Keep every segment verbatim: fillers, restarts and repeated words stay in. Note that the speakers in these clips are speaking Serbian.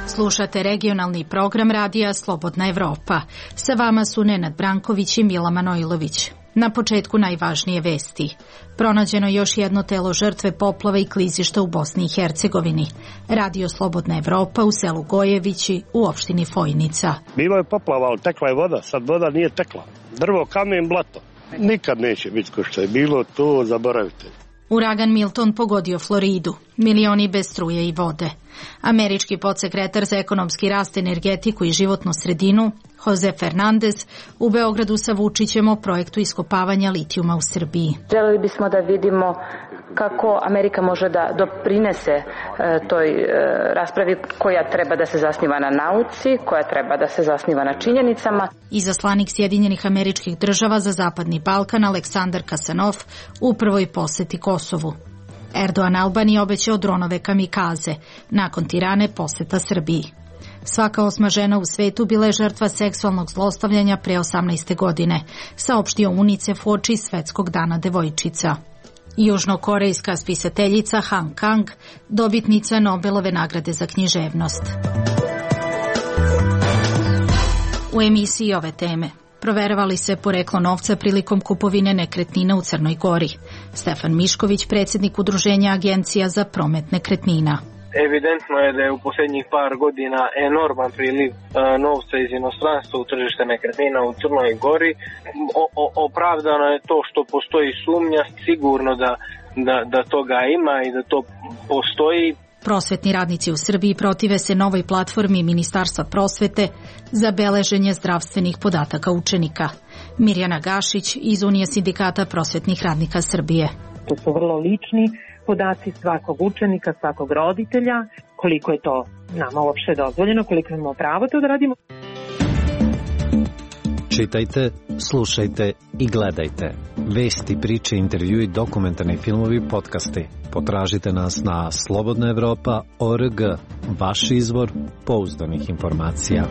Slušate regionalni program radija Slobodna Evropa. Sa vama su Nenad Branković i Mila Manojlović. Na početku najvažnije vesti. Pronađeno još jedno telo žrtve poplave i klizišta u Bosni i Hercegovini. Radio Slobodna Evropa u selu Gojevići u opštini Fojnica. Bilo je poplava, ali tekla je voda, sad voda nije tekla. Drvo, kamen, blato. Nikad neće biti ko što je bilo, to zaboravite. Uragan Milton pogodio Floridu, milioni bez struje i vode. Američki podsekretar za ekonomski rast, energetiku i životnu sredinu, Jose Fernandez, u Beogradu sa Vučićem o projektu iskopavanja litijuma u Srbiji. Želeli bismo da vidimo kako Amerika može da doprinese e, toj e, raspravi koja treba da se zasniva na nauci, koja treba da se zasniva na činjenicama. Izaslanik Sjedinjenih Američkih Država za Zapadni Balkan Aleksandar Kasanov u prvoj poseti Kosovu. Erdogan Albaniji obećao dronove kamikaze, nakon Tirane poseta Srbiji. Svaka osma žena u svetu bila je žrtva seksualnog zlostavljanja pre osamnaeste godine, saopštio UNICEF uoči Svetskog dana devojčica. Južnokorejska spisateljica Han Kang, dobitnica Nobelove nagrade za književnost. U emisiji ove teme proveravali se poreklo novca prilikom kupovine nekretnina u Crnoj Gori. Stefan Mišković, predsjednik Udruženja agencija za promet nekretnina. Evidentno je da je u posljednjih par godina enorman priliv e, novca iz inostranstva u tržište nekretnina u Crnoj Gori. O, o, opravdano je to što postoji sumnja, sigurno da, da, da toga ima i da to postoji. Prosvetni radnici u Srbiji protive se novoj platformi Ministarstva prosvete za beleženje zdravstvenih podataka učenika. Mirjana Gašić iz Unije sindikata prosvetnih radnika Srbije. To su vrlo lični podaci svakog učenika, svakog roditelja, koliko je to nama uopšte dozvoljeno, koliko imamo pravo to da radimo. Čitajte, slušajte i gledajte. Vesti, priče, intervjui, dokumentarni filmovi, podcasti. Potražite nas na slobodna evropa tačka org, vaš izvor pouzdanih informacija.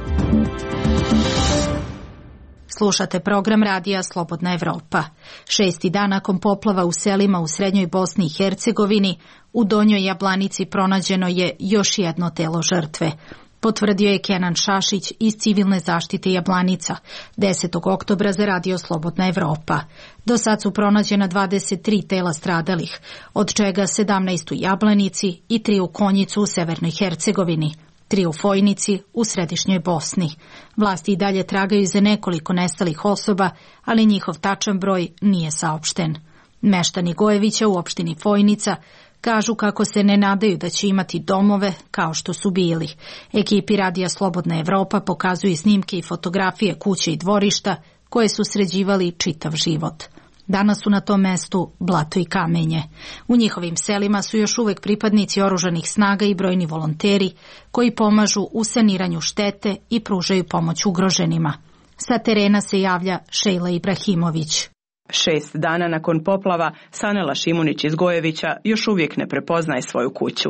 Slušate program radija Slobodna Evropa. Šesti dan nakon poplava u selima u srednjoj Bosni i Hercegovini, u Donjoj Jablanici pronađeno je još jedno telo žrtve. Potvrdio je Kenan Šašić iz Civilne zaštite Jablanica, desetog oktobra za radio Slobodna Evropa. Do sad su pronađena dvadeset tri tela stradalih, od čega sedamnaest u Jablanici i tri u Konjicu u severnoj Hercegovini, tri u Fojnici u središnjoj Bosni. Vlasti i dalje tragaju za nekoliko nestalih osoba, ali njihov tačan broj nije saopšten. Meštani Gojevića u opštini Fojnica kažu kako se ne nadaju da će imati domove kao što su bili. Ekipi radija Slobodna Evropa pokazuju snimke i fotografije kuće i dvorišta koje su sređivali čitav život. Danas su na tom mestu blato i kamenje. U njihovim selima su još uvek pripadnici oružanih snaga i brojni volonteri koji pomažu u saniranju štete i pružaju pomoć ugroženima. Sa terena se javlja Šejla Ibrahimović. Šest dana nakon poplava, Sanela Šimunić iz Gojevića još uvijek ne prepoznaje svoju kuću.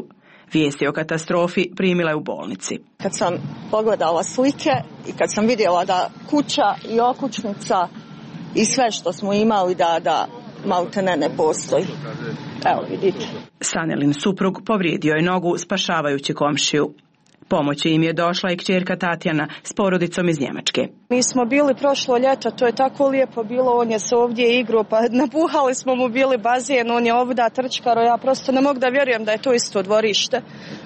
Vijesti o katastrofi primila je u bolnici. Kad sam pogledala slike i kad sam vidjela da kuća i okućnica i sve što smo imali da, da maltene ne postoji. Evo vidite. Sanelin suprug povrijedio je nogu spašavajući komšiju. Pomoći im je došla i kćerka Tatjana s porodicom iz Njemačke. Mi smo bili prošlo ljeto, to je tako lijepo bilo, on je se ovdje igrao, pa napuhali smo mu bili bazen, on je ovdje trčkaro, ja prosto ne mogu da vjerujem da je to isto dvorište.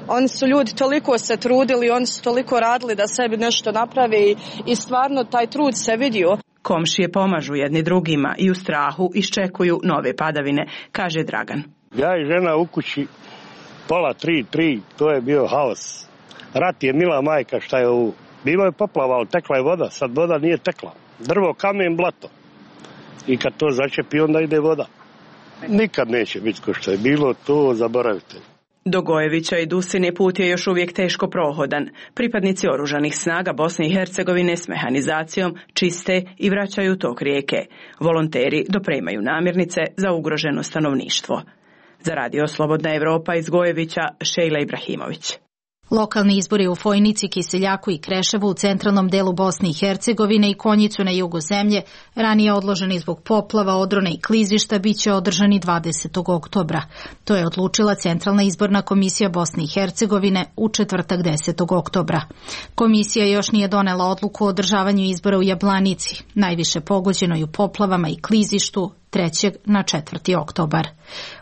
Oni su ljudi toliko se trudili, oni su toliko radili da sebi nešto naprave i, i stvarno taj trud se vidio. Komšije pomažu jedni drugima i u strahu iščekuju nove padavine, kaže Dragan. Ja i žena u kući, pola tri, tri, to je bio haos. Rat je mila majka, šta je ovo. Bilo je poplava, ali tekla je voda, sad voda nije tekla. Drvo, kamen, blato. I kad to začepi, onda ide voda. Nikad neće biti ko što je bilo, to zaboravite. Do Gojevića i Dusine put je još uvijek teško prohodan. Pripadnici oružanih snaga Bosne i Hercegovine s mehanizacijom čiste i vraćaju tok rijeke. Volonteri dopremaju namirnice za ugroženo stanovništvo. Za radio Slobodna Evropa iz Gojevića, Šejla Ibrahimović. Lokalni izbori u Fojnici, Kiseljaku i Kreševu u centralnom delu Bosne i Hercegovine i Konjicu na jugu zemlje, ranije odloženi zbog poplava, odrona i klizišta, bit će održani dvadesetog oktobra. To je odlučila Centralna izborna komisija Bosne i Hercegovine u četvrtak desetog oktobra. Komisija još nije donela odluku o održavanju izbora u Jablanici, najviše pogođenoj u poplavama i klizištu, trećeg na četvrti oktobar.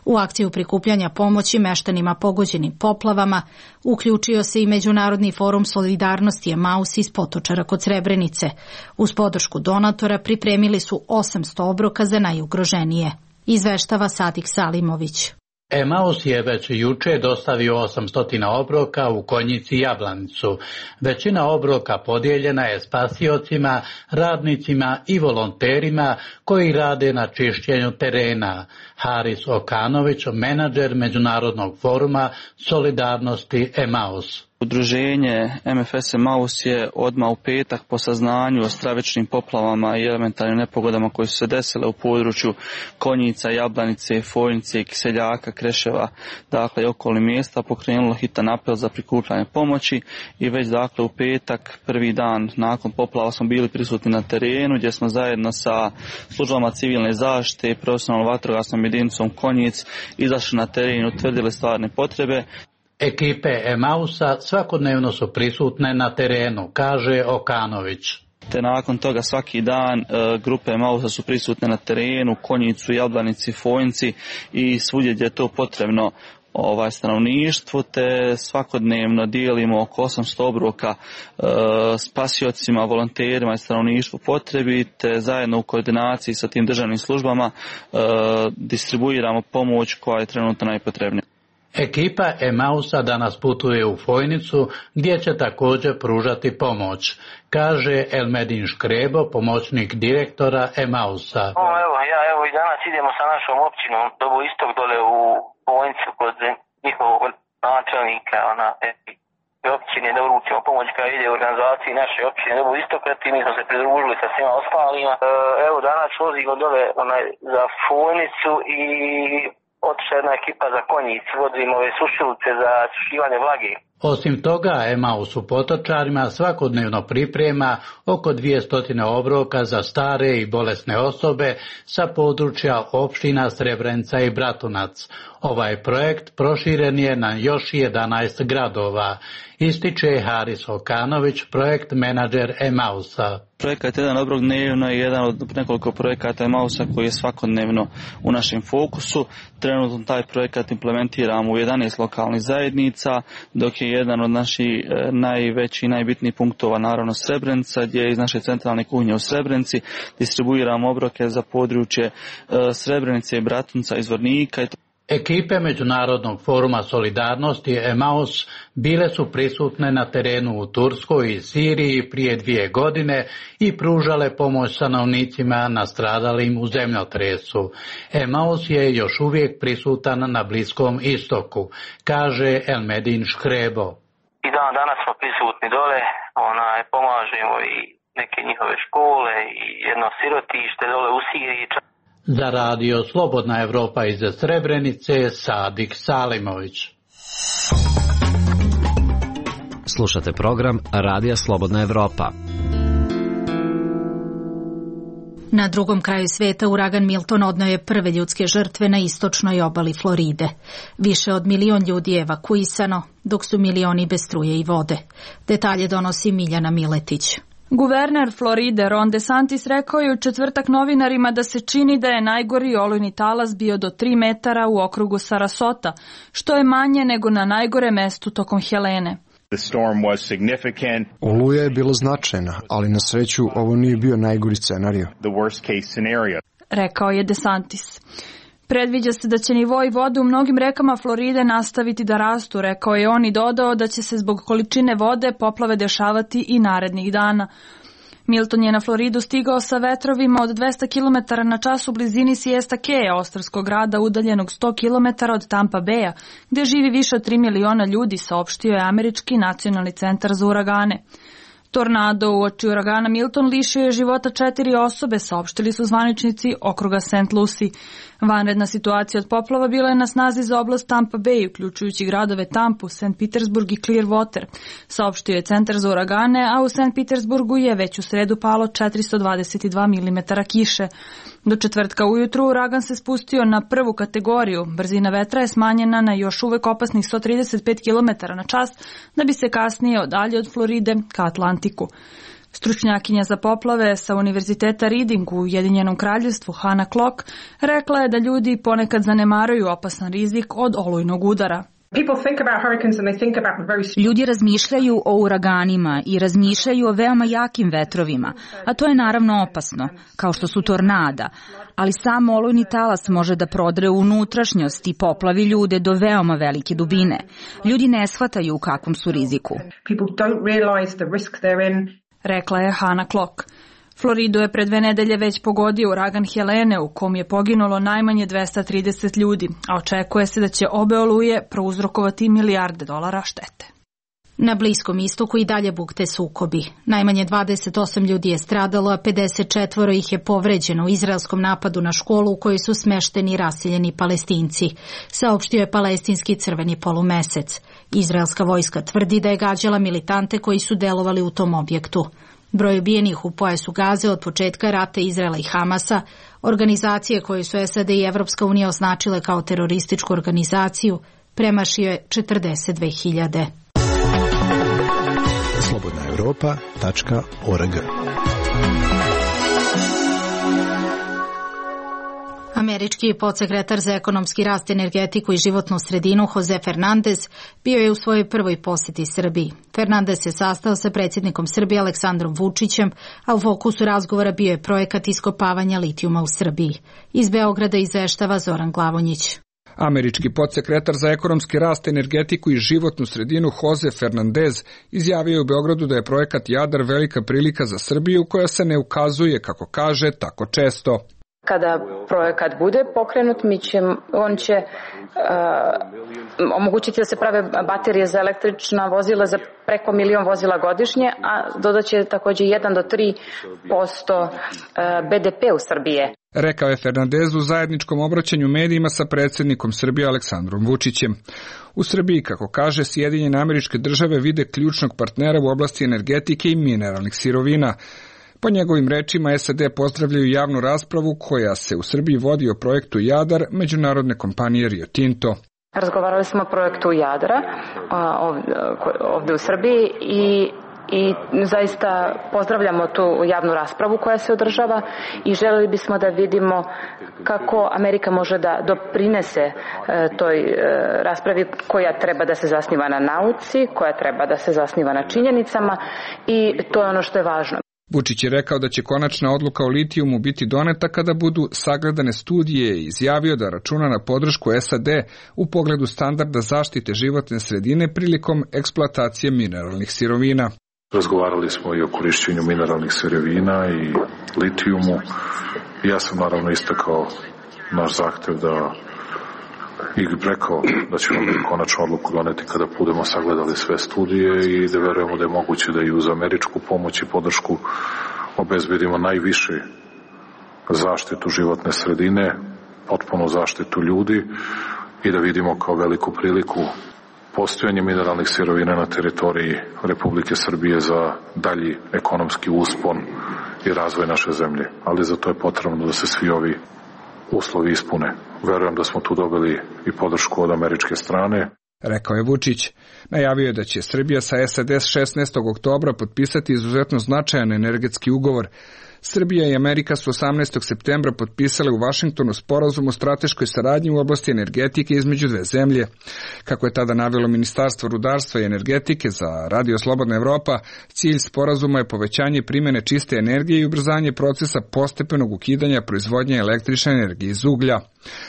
U akciju prikupljanja pomoći meštanima pogođenim poplavama uključio se i Međunarodni forum solidarnosti Emaus iz Potočara kod Srebrenice. Uz podršku donatora pripremili su osamsto obroka za najugroženije. Izveštava Sadik Salimović. Emaus je već juče dostavio osamsto obroka u Konjici i Jablanicu. Većina obroka podijeljena je spasiocima, radnicima i volonterima koji rade na čišćenju terena. Haris Okanović, menadžer Međunarodnog foruma solidarnosti Emaus. Udruženje M F S Emaus je odmah u petak po saznanju o stravičnim poplavama i elementarnim nepogodama koje su se desile u području Konjica, Jablanice, Fojnice, Kiseljaka, Kreševa, dakle i okolnih mjesta, pokrenulo hitan apel za prikupljanje pomoći i već dakle u petak, prvi dan nakon poplava, smo bili prisutni na terenu gdje smo zajedno sa službama civilne zaštite i profesionalnom vatrogasnom jedinicom Konjic izašli na teren i utvrdili stvarne potrebe. Ekipe Emausa svakodnevno su prisutne na terenu, kaže Okanović. Te nakon toga svaki dan e, grupe Emausa su prisutne na terenu, Konjicu, Jablanici, Fojnici i svugdje gdje je to potrebno ovaj stanovništvu, te svakodnevno dijelimo oko osamsto obroka e, spasiocima, volonterima i stanovništvu potrebi, te zajedno u koordinaciji sa tim državnim službama e, distribuiramo pomoć koja je trenutno najpotrebnija. Ekipa Emausa danas putuje u Fojnicu gdje će također pružati pomoć, kaže Elmedin Škrebo, pomoćnik direktora Emausa. O, evo, ja evo i danas idemo sa našom općinom do istog dole u Fojnicu kod njihovog načelnika ona, e, općine da uručimo pomoć koja ide u organizaciji naše općine do istoka, i mi smo se pridružili sa svima ostalima. E, evo danas vozimo dole onaj, za Fojnicu i otišla jedna ekipa za Konjic, vodimo ove sušilice za sušivanje vlage. Osim toga, Emaus u Potočarima svakodnevno priprema oko dvjesto obroka za stare i bolesne osobe sa područja opština Srebrenica i Bratunac. Ovaj projekt proširen je na još jedanaest gradova, ističe Haris Okanović, projekt menadžer Emausa. Projekat Jedan obrok dnevno je jedan od nekoliko projekata Emausa koji je svakodnevno u našem fokusu. Trenutno taj projekat implementiramo u jedanaest lokalnih zajednica, dok je jedan od naših najvećih i najbitnijih punktova naravno Srebrenica, gdje iz naše centralne kuhinje u Srebrenici distribuiramo obroke za područje Srebrenice, Bratunca i Zvornika. Ekipe Međunarodnog foruma solidarnosti Emaus bile su prisutne na terenu u Turskoj i Siriji prije dvije godine i pružale pomoć stanovnicima nastradalim u zemljotresu. Emaus je još uvijek prisutan na Bliskom istoku, kaže Elmedin Škrebo. I dan danas smo prisutni dole, onaj, pomažemo i neke njihove škole i jedno sirotište dole u Siriji. Za radio Slobodna Evropa iz Srebrenice, Sadik Salimović. Slušate program Radija Slobodna Evropa. Na drugom kraju sveta uragan Milton odneo je prve ljudske žrtve na istočnoj obali Floride. Više od milion ljudi je evakuisano, dok su milioni bez struje i vode. Detalje donosi Miljana Miletić. Guverner Floride Ron DeSantis rekao je u četvrtak novinarima da se čini da je najgori olujni talas bio do tri metara u okrugu Sarasota, što je manje nego na najgore mestu tokom Helene. Oluja je bila značajna, ali na sreću ovo nije bio najgori scenario. Rekao je DeSantis. Predviđa se da će nivoi vode u mnogim rekama Floride nastaviti da rastu, rekao je on i dodao da će se zbog količine vode poplave dešavati i narednih dana. Milton je na Floridu stigao sa vetrovima od dvesta kilometara na čas u blizini Siesta Keya, ostrvskog grada udaljenog sto kilometara od Tampa Baya, gdje živi više od tri miliona ljudi, saopštio je Američki nacionalni centar za uragane. Tornado uoči uragana Milton lišio je života četiri osobe, saopštili su zvaničnici okruga Saint Lucie. Vanredna situacija od poplava bila je na snazi za oblast Tampa Bay, uključujući gradove Tampu, Saint Petersburg i Clearwater, saopštio je Centar za uragane, a u Saint Petersburgu je već u sredu palo četiristo dvadeset dva milimetara kiše. Do četvrtka ujutru uragan se spustio na prvu kategoriju, brzina vetra je smanjena na još uvek opasnih sto trideset pet kilometara na čas, da bi se kasnije odalje od Floride ka Atlantiku. Stručnjakinja za poplave sa Univerziteta Reading u Ujedinjenom kraljevstvu Hannah Klock rekla je da ljudi ponekad zanemaruju opasan rizik od olujnog udara. Ljudi razmišljaju o uraganima i razmišljaju o veoma jakim vetrovima, a to je naravno opasno, kao što su tornada, ali sam olujni talas može da prodre u unutrašnjost i poplavi ljude do veoma velike dubine. Ljudi ne shvataju u kakvom su riziku. Rekla je Hannah Klock. Floridu je pre dve nedelje već pogodio uragan Helene, u kom je poginulo najmanje dvesta trideset ljudi, a očekuje se da će obe oluje prouzrokovati milijarde dolara štete. Na Bliskom istoku i dalje bukte sukobi. Najmanje dvadeset osam ljudi je stradalo, a pedeset četiri ih je povređeno u izraelskom napadu na školu u kojoj su smešteni raseljeni Palestinci, saopštio je palestinski crveni polumesec. Izraelska vojska tvrdi da je gađala militante koji su delovali u tom objektu. Broj ubijenih u pojasu Gaze od početka rata Izraela i Hamasa, organizacije koje su S A D i Evropska unija označile kao terorističku organizaciju, premašio je četrdeset dve hiljade. slobodna europa tačka org. Američki podsekretar za ekonomski rast, energetiku i životnu sredinu Jose Fernandez bio je u svojoj prvoj posjeti Srbiji. Fernandez se sastao sa predsjednikom Srbije Aleksandrom Vučićem, a u fokusu razgovora bio je projekat iskopavanja litijuma u Srbiji. Iz Beograda izveštava Zoran Glavonjić. Američki podsekretar za ekonomski rast, energetiku i životnu sredinu Jose Fernandez izjavio u Beogradu da je projekat Jadar velika prilika za Srbiju koja se ne ukazuje, kako kaže, tako često. Kada projekat bude pokrenut, mi će, on će uh, omogućiti da se prave baterije za električna vozila za preko milion vozila godišnje, a dodaće također jedan do tri posto B D P u Srbije. Rekao je Fernandez u zajedničkom obraćanju medijima sa predsjednikom Srbije Aleksandrom Vučićem. U Srbiji, kako kaže, Sjedinjene Američke Države vide ključnog partnera u oblasti energetike i mineralnih sirovina. Po njegovim rečima, S A D pozdravljaju javnu raspravu koja se u Srbiji vodi o projektu Jadar međunarodne kompanije Rio Tinto. Razgovarali smo o projektu Jadra ovdje u Srbiji i I zaista pozdravljamo tu javnu raspravu koja se održava i želeli bismo da vidimo kako Amerika može da doprinese toj raspravi koja treba da se zasniva na nauci, koja treba da se zasniva na činjenicama i to je ono što je važno. Vučić je rekao da će konačna odluka o litijumu biti doneta kada budu sagledane studije i izjavio da računa na podršku S A D u pogledu standarda zaštite životne sredine prilikom eksploatacije mineralnih sirovina. Razgovarali smo i o korišćenju mineralnih sirovina i litijumu. Ja sam naravno istakao naš zahtev da i rekao da ćemo mi konačnu odluku doneti kada budemo sagledali sve studije i da verujemo da je moguće da i uz američku pomoć i podršku obezbedimo najviše zaštitu životne sredine, potpunu zaštitu ljudi i da vidimo kao veliku priliku postojanje mineralnih sirovina na teritoriji Republike Srbije za dalji ekonomski uspon i razvoj naše zemlje. Ali za to je potrebno da se svi ovi uslovi ispune. Verujem da smo tu dobili i podršku od američke strane. Rekao je Vučić. Najavio je da će Srbija sa S A D šesnaestog oktobra potpisati izuzetno značajan energetski ugovor. Srbija i Amerika su osamnaestog septembra potpisale u Vašingtonu sporazum o strateškoj saradnji u oblasti energetike između dve zemlje. Kako je tada navelo Ministarstvo rudarstva i energetike za Radio Slobodna Evropa, cilj sporazuma je povećanje primjene čiste energije i ubrzanje procesa postepenog ukidanja proizvodnje električne energije iz uglja.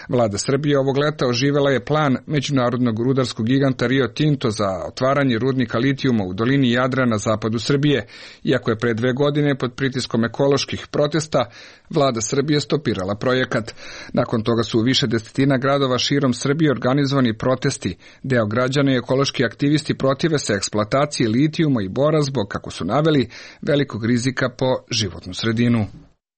Vlada Srbije ovog leta oživela je plan međunarodnog rudarskog giganta Rio Tinto za otvaranje rudnika litijuma u dolini Jadra na zapadu Srbije, iako je pre dve godine pod pritiskom ekoloških protesta Vlada Srbije stopirala projekat. Nakon toga su u više desetina gradova širom Srbije organizovani protesti. Deo građana i ekološki aktivisti protive se eksploataciji litijuma i bora zbog, kako su naveli, velikog rizika po životnu sredinu.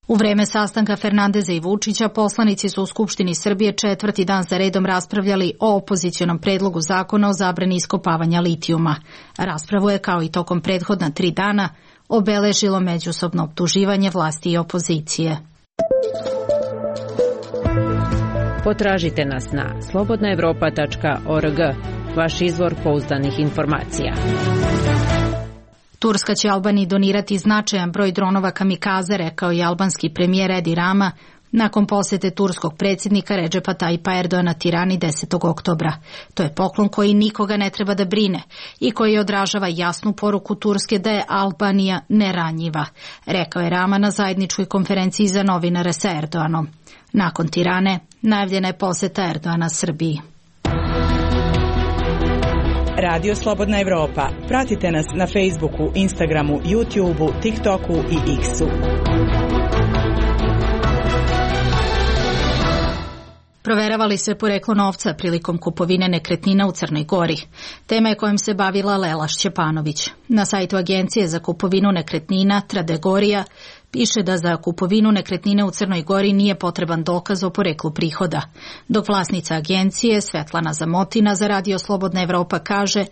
U vreme sastanka Fernandeza i Vučića, poslanici su u Skupštini Srbije četvrti dan za redom raspravljali o opozicionom predlogu zakona o zabrani iskopavanja litijuma. Raspravu je, kao i tokom prethodna tri dana, obeležilo međusobno optuživanje vlasti i opozicije. Potražite nas na slobodna evropa tačka org, vaš izvor pouzdanih informacija. Turska će Albaniji donirati značajan broj dronova kamikaze, rekao je albanski premijer Edi Rama nakon posete turskog predsjednika Redžepa Tajipa Erdoana Tirani desetog oktobra. To je poklon koji nikoga ne treba da brine i koji odražava jasnu poruku Turske da je Albanija neranjiva, rekao je Rama na zajedničkoj konferenciji za novinare sa Erdoanom. Nakon Tirane najavljena je poseta Erdoana Srbiji. Radio Slobodna Evropa. Pratite nas na Facebooku, Instagramu, YouTubeu, TikToku i X-u. Proveravali se poreklo novca prilikom kupovine nekretnina u Crnoj Gori. Tema je kojom se bavila Lela Šćepanović. Na sajtu Agencije za kupovinu nekretnina Tradegorija piše da za kupovinu nekretnine u Crnoj Gori nije potreban dokaz o poreklu prihoda, dok vlasnica agencije Svetlana Zamotina za Radio Slobodna Evropa kaže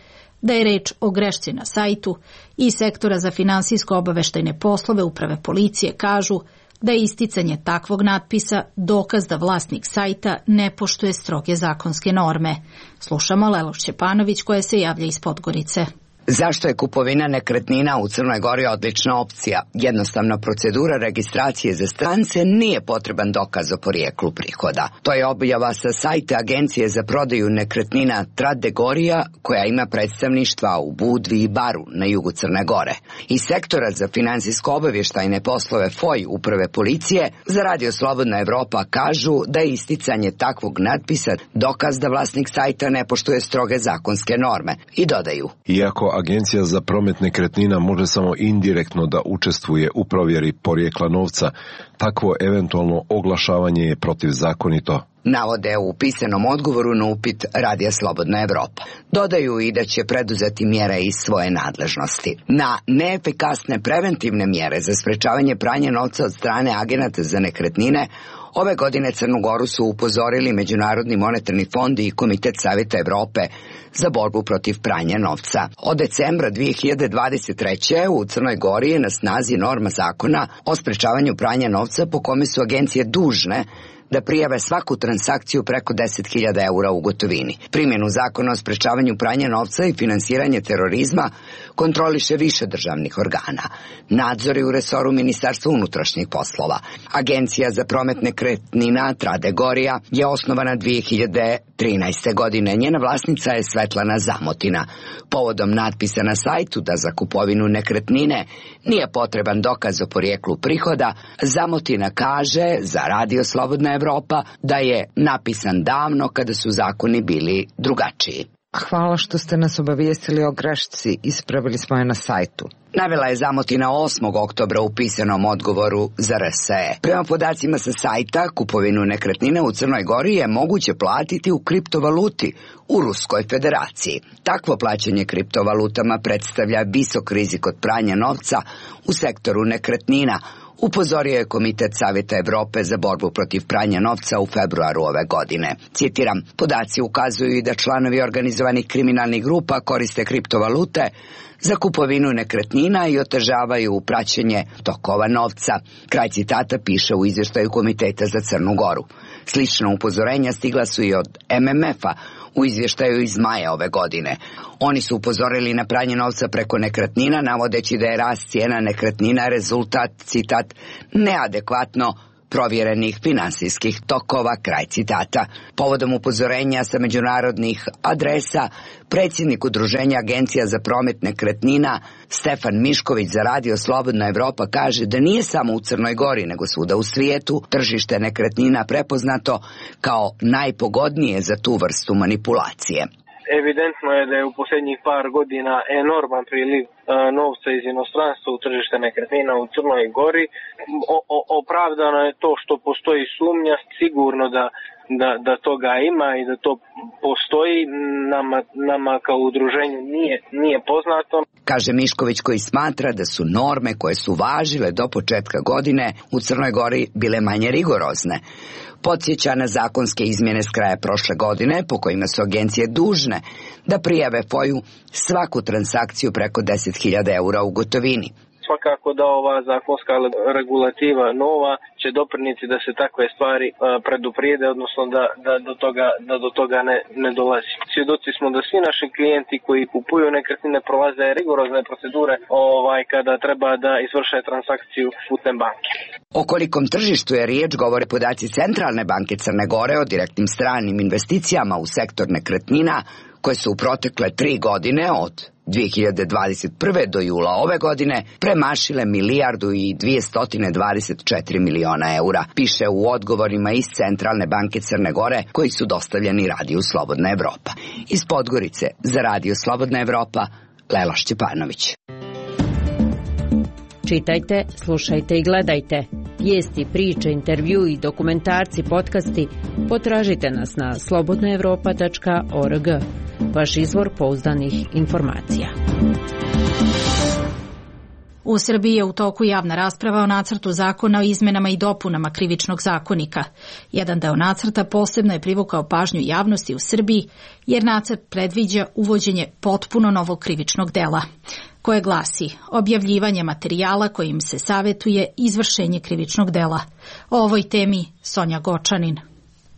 da je reč o grešci na sajtu i sektora za finansijsko-obaveštajne poslove Uprave policije kažu da je isticanje takvog natpisa dokaz da vlasnik sajta ne poštuje stroge zakonske norme. Slušamo Lelu Šćepanović koja se javlja iz Podgorice. Zašto je kupovina nekretnina u Crnoj Gori odlična opcija? Jednostavna procedura registracije za strance, nije potreban dokaz o porijeklu prihoda. To je objava sa sajta Agencije za prodaju nekretnina Tradegorija, koja ima predstavništva u Budvi i Baru na jugu Crne Gore. Iz sektora za finansijsko-obavještajne poslove F O I Uprave policije za Radio Slobodna Evropa kažu da je isticanje takvog natpisa dokaz da vlasnik sajta ne poštuje stroge zakonske norme i dodaju: Iako Agencija za promet nekretnina može samo indirektno da učestvuje u provjeri porijekla novca, takvo eventualno oglašavanje je protivzakonito. Navode u pisanom odgovoru na upit Radija Slobodna Evropa. Dodaju i da će preduzeti mjere iz svoje nadležnosti. Na neefikasne preventivne mjere za sprečavanje pranja novca od strane agenata za nekretnine ove godine Crnu Goru su upozorili Međunarodni monetarni fond i Komitet Savjeta Evrope za borbu protiv pranja novca. Od decembra dvije hiljade dvadeset treće. u Crnoj Gori je na snazi norma zakona o sprečavanju pranja novca po kome su agencije dužne da prijave svaku transakciju preko deset hiljada eura u gotovini. Primjenu zakona o sprečavanju pranja novca i finansiranje terorizma kontroliše više državnih organa. Nadzori u resoru Ministarstva unutrašnjih poslova. Agencija za promet nekretnina Tradegorija je osnovana dvije hiljade trinaeste. godine. Njena vlasnica je Svetlana Zamotina. Povodom natpisa na sajtu da za kupovinu nekretnine nije potreban dokaz o porijeklu prihoda, Zamotina kaže za Radio Slobodna Evropa da je napisan davno kada su zakoni bili drugačiji. Hvala što ste nas obavijestili o grešci, ispravili smo je na sajtu. Navela je Zamotina osmog oktobra u pisanom odgovoru za R S E. Prema podacima sa sajta, kupovinu nekretnine u Crnoj Gori je moguće platiti u kriptovaluti u Ruskoj federaciji. Takvo plaćanje kriptovalutama predstavlja visok rizik od pranja novca u sektoru nekretnina, upozorio je Komitet Savjeta Evrope za borbu protiv pranja novca u februaru ove godine. Citiram, podaci ukazuju i da članovi organizovanih kriminalnih grupa koriste kriptovalute za kupovinu nekretnina i otežavaju praćenje tokova novca. Kraj citata piše u izvještaju Komiteta za Crnu Goru. Slična upozorenja stigla su i od M M F-a u izvještaju iz maja ove godine. Oni su upozorili na pranje novca preko nekretnina, navodeći da je rast cijena nekretnina rezultat, citat, neadekvatno provjerenih finansijskih tokova, kraj citata. Povodom upozorenja sa međunarodnih adresa, predsjednik Udruženja Agencija za promet nekretnina Stefan Mišković za Radio Slobodna Evropa kaže da nije samo u Crnoj Gori, nego svuda u svijetu tržište nekretnina prepoznato kao najpogodnije za tu vrstu manipulacije. Evidentno je da je u posljednjih par godina enorman priliv novca iz inostranstva u tržište nekretnina u Crnoj Gori. O, o, opravdano je to što postoji sumnja, sigurno da, da, da toga ima i da to postoji, nama, nama kao udruženju nije, nije poznato. kaže Mišković, koji smatra da su norme koje su važile do početka godine u Crnoj Gori bile manje rigorozne. Podsjeća na zakonske izmjene s kraja prošle godine po kojima su agencije dužne da prijave F O I-u svaku transakciju preko deset hiljada eura u gotovini. Svakako da ova zakonska regulativa nova će doprinijeti da se takve stvari preduprijede, odnosno da, da, do toga, da do toga ne, ne dolazi. Svjedoci smo da svi naši klijenti koji kupuju nekretnine prolaze rigorozne procedure ovaj, kada treba da izvrše transakciju putem banke. O kolikom tržištu je riječ govore podaci Centralne banke Crne Gore o direktnim stranim investicijama u sektor nekretnina koje su u protekle tri godine od dvije hiljade dvadeset prve do jula ove godine premašile milijardu i dvjesto dvadeset četiri miliona eura, piše u odgovorima iz Centralne banke Crne Gore koji su dostavljeni Radiju Slobodna Evropa. Iz Podgorice za Radio Slobodna Evropa, Lela Šćepanović. Čitajte, slušajte i gledajte. Vijesti, priče, intervju i dokumentarci, podcasti potražite nas na slobodna evropa tačka org. Vaš izvor pouzdanih informacija. U Srbiji je u toku javna rasprava o nacrtu zakona o izmenama i dopunama Krivičnog zakonika. Jedan deo nacrta posebno je privukao pažnju javnosti u Srbiji, jer nacrt predviđa uvođenje potpuno novog krivičnog dela, koje glasi objavljivanje materijala kojim se savetuje izvršenje krivičnog dela. O ovoj temi Sonja Gočanin.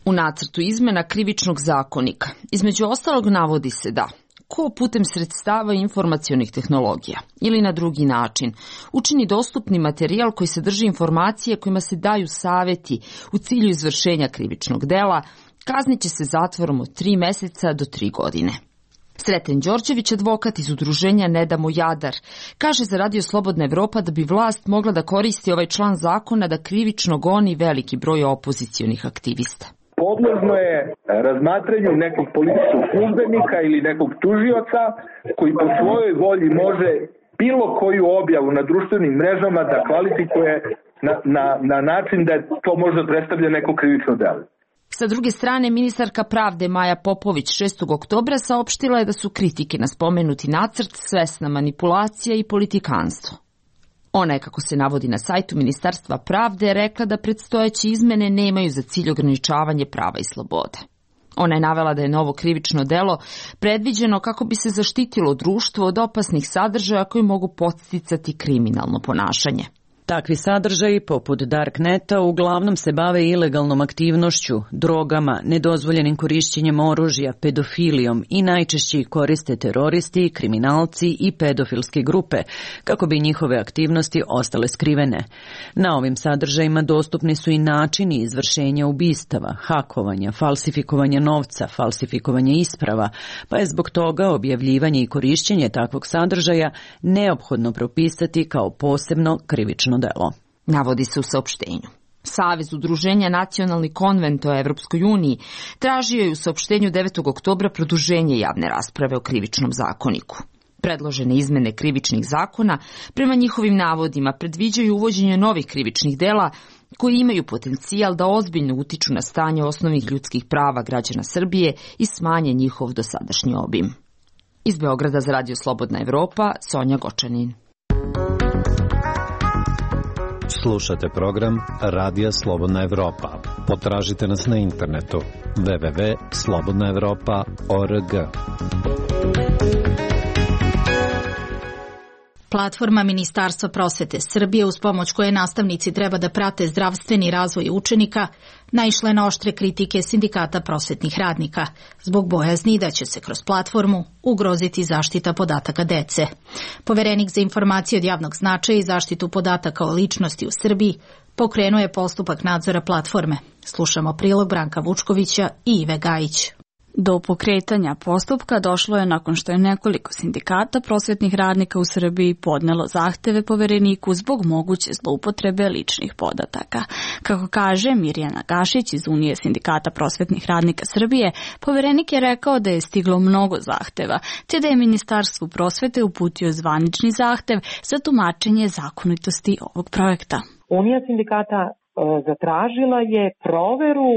U nacrtu izmena Krivičnog zakonika između ostalog navodi se da ko putem sredstava informacionih tehnologija ili na drugi način učini dostupni materijal koji sadrži informacije kojima se daju saveti u cilju izvršenja krivičnog dela, kazniće se zatvorom od tri meseca do tri godine. Sreten Đorđević, advokat iz udruženja Ne damo Jadar, kaže za Radio Slobodna Evropa da bi vlast mogla da koristi ovaj član zakona da krivično goni veliki broj opozicionih aktivista. Podložno je razmatranju nekog policijskog službenika ili nekog tužioca koji po svojoj volji može bilo koju objavu na društvenim mrežama da kvalifikuje na, na, na način da to možda predstavlja neko krivično delo. Sa druge strane, ministarka pravde Maja Popović šestog oktobra saopštila je da su kritike na spomenuti nacrt svesna manipulacija i politikanstvo. Ona je, kako se navodi na sajtu Ministarstva pravde, rekla da predstojeće izmene nemaju za cilj ograničavanje prava i slobode. Ona je navela da je novo krivično delo predviđeno kako bi se zaštitilo društvo od opasnih sadržaja koji mogu podsticati kriminalno ponašanje. Takvi sadržaji, poput Darkneta, uglavnom se bave ilegalnom aktivnošću, drogama, nedozvoljenim korišćenjem oružja, pedofilijom i najčešće koriste teroristi, kriminalci i pedofilske grupe, kako bi njihove aktivnosti ostale skrivene. Na ovim sadržajima dostupni su i načini izvršenja ubistava, hakovanja, falsifikovanja novca, falsifikovanja isprava, pa je zbog toga objavljivanje i korišćenje takvog sadržaja neophodno propisati kao posebno krivično delo. Navodi se u saopštenju. Savez udruženja Nacionalni konvent o Evropskoj uniji tražio je u saopštenju devetog oktobra produženje javne rasprave o krivičnom zakoniku. Predložene izmene krivičnih zakona prema njihovim navodima predviđaju uvođenje novih krivičnih dela koji imaju potencijal da ozbiljno utiču na stanje osnovnih ljudskih prava građana Srbije i smanje njihov dosadašnji obim. Iz Beograda za Radio Slobodna Evropa, Sonja Gočanin. Slušate program Radija Slobodna Evropa. Potražite nas na internetu w w w tačka slobodna evropa tačka org. Platforma Ministarstva prosvete Srbije, uz pomoć koje nastavnici treba da prate zdravstveni razvoj učenika, naišla je na oštre kritike sindikata prosvetnih radnika, zbog bojazni da će se kroz platformu ugroziti zaštita podataka dece. Poverenik za informacije od javnog značaja i zaštitu podataka o ličnosti u Srbiji pokrenuo je postupak nadzora platforme. Slušamo prilog Branka Vučkovića i Ive Gajić. Do pokretanja postupka došlo je nakon što je nekoliko sindikata prosvetnih radnika u Srbiji podnelo zahteve povereniku zbog moguće zloupotrebe ličnih podataka. Kako kaže Mirjana Gašić iz Unije sindikata prosvetnih radnika Srbije, poverenik je rekao da je stiglo mnogo zahteva, te da je Ministarstvu prosvete uputio zvanični zahtev za tumačenje zakonitosti ovog projekta. Unija sindikata zatražila je proveru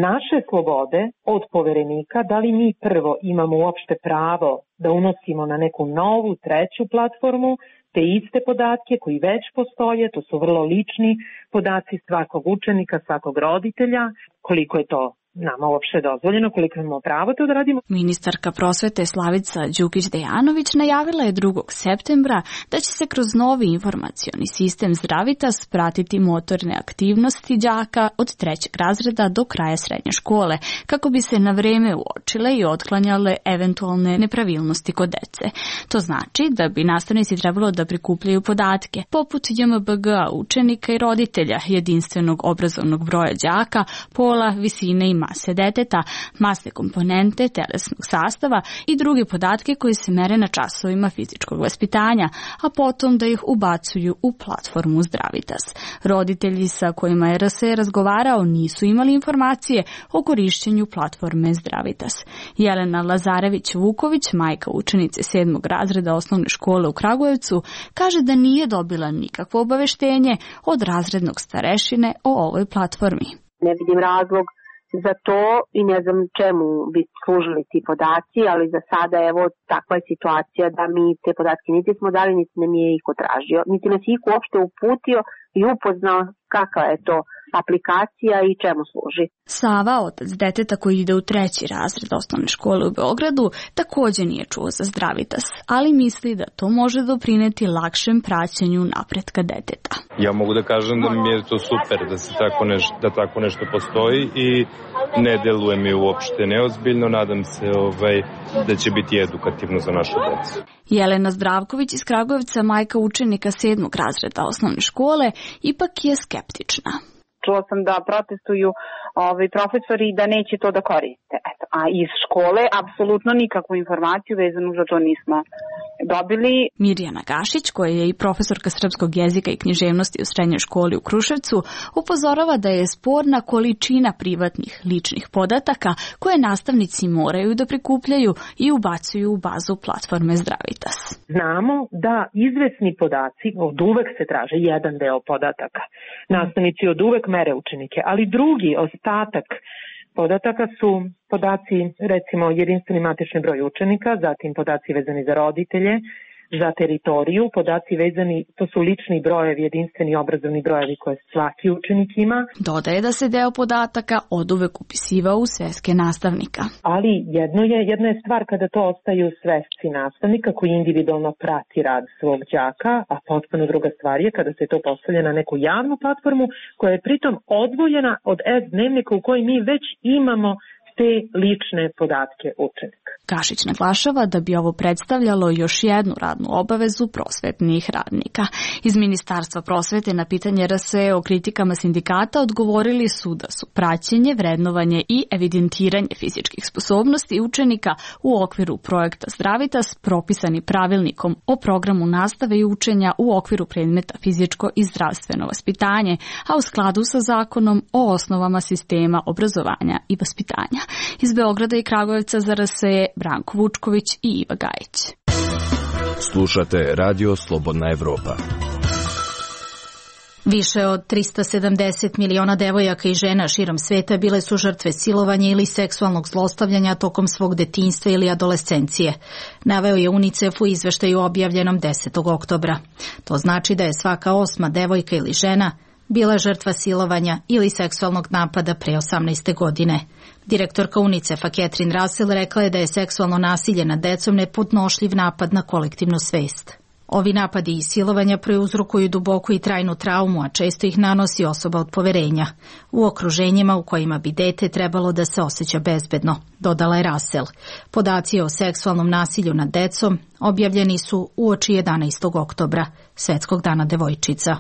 naše slobode od poverenika, da li mi prvo imamo uopšte pravo da unosimo na neku novu, treću platformu te iste podatke koji već postoje, to su vrlo lični podaci svakog učenika, svakog roditelja, koliko je to nama uopšte dozvoljeno, koliko imamo pravo to da radimo. Ministarka prosvete Slavica Đukić-Dejanović najavila je drugog septembra da će se kroz novi informacioni sistem Zdravitas pratiti motorne aktivnosti đaka od trećeg razreda do kraja srednje škole, kako bi se na vreme uočile i otklanjale eventualne nepravilnosti kod dece. To znači da bi nastavnici trebalo da prikupljaju podatke, poput J M B G a učenika i roditelja, jedinstvenog obrazovnog broja đaka, pola, visine i mase deteta, masne komponente, telesnog sastava i druge podatke koji se mere na časovima fizičkog vaspitanja, a potom da ih ubacuju u platformu Zdravitas. Roditelji sa kojima je R S E razgovarao nisu imali informacije o korišćenju platforme Zdravitas. Jelena Lazarević-Vuković, majka učenice sedmog razreda osnovne škole u Kragujevcu, kaže da nije dobila nikakvo obaveštenje od razrednog starešine o ovoj platformi. Ne vidim razlog za to i ne znam čemu bi služili ti podaci, ali za sada evo takva je situacija da mi te podatke niti smo dali, niti nam je iko tražio, niti nas iko uopšte uputio i upoznao kakva je to aplikacija i čemu služi. Sava, otac deteta koji ide u treći razred osnovne škole u Beogradu, također nije čuo za Zdravitas, ali misli da to može doprineti lakšem praćenju napretka deteta. Ja mogu da kažem da mi je to super da se tako nešto, da tako nešto postoji i ne deluje mi uopšte neozbiljno, nadam se ovaj, da će biti edukativno za našu decu. Jelena Zdravković iz Kragujevca, majka učenika sedmog razreda osnovne škole, ipak je skeptična. Čula sam da protestuju ovi profesori da neće to da koriste. Eto, a iz škole apsolutno nikakvu informaciju vezanu za to nismo dobili. Mirjana Gašić, koja je i profesorka srpskog jezika i književnosti u srednjoj školi u Kruševcu, upozorava da je sporna količina privatnih ličnih podataka koje nastavnici moraju da prikupljaju i ubacuju u bazu platforme Zdravitas. Znamo da izvesni podaci od uvek se traže jedan deo podataka. Nastavnici od uvek mere učenike, ali drugi ostatak podataka su podaci, recimo jedinstveni matični broj učenika, zatim podaci vezani za roditelje, za teritoriju, podaci vezani, to su lični brojevi, jedinstveni obrazovni brojevi koje svaki učenik ima. Dodaje da se deo podataka oduvek upisivao u sveske nastavnika. Ali jedno je, jedna je stvar kada to ostaju svesci nastavnika koji individualno prati rad svog đaka, a potpuno druga stvar je kada se to postavlja na neku javnu platformu koja je pritom odvojena od S-dnevnika u kojoj mi već imamo te lične podatke učenika. Gašić naglašava da bi ovo predstavljalo još jednu radnu obavezu prosvetnih radnika. Iz Ministarstva prosvete na pitanje R S E o kritikama sindikata odgovorili su da su praćenje, vrednovanje i evidentiranje fizičkih sposobnosti učenika u okviru projekta Zdravitas propisani pravilnikom o programu nastave i učenja u okviru predmeta fizičko i zdravstveno vaspitanje, a u skladu sa zakonom o osnovama sistema obrazovanja i vaspitanja. Iz Beograda i Kragujevca za R S E Branko Vučković i Iva Gajić. Slušate Radio Slobodna Evropa. Više od trista sedamdeset miliona devojaka i žena širom sveta bile su žrtve silovanja ili seksualnog zlostavljanja tokom svog detinjstva ili adolescencije. Naveo je UNICEF u izveštaju objavljenom desetog oktobra. To znači da je svaka osma devojka ili žena bila žrtva silovanja ili seksualnog napada pre osamnaeste godine. Direktorka UNICEF-a Catherine Russell rekla je da je seksualno nasilje nad decom nepodnošljiv napad na kolektivnu svest. Ovi napadi i silovanja prouzrokuju duboku i trajnu traumu, a često ih nanosi osoba od poverenja, u okruženjima u kojima bi dete trebalo da se osjeća bezbedno, dodala je Russell. Podaci o seksualnom nasilju nad decom objavljeni su uoči jedanaestog oktobra, Svetskog dana devojčica.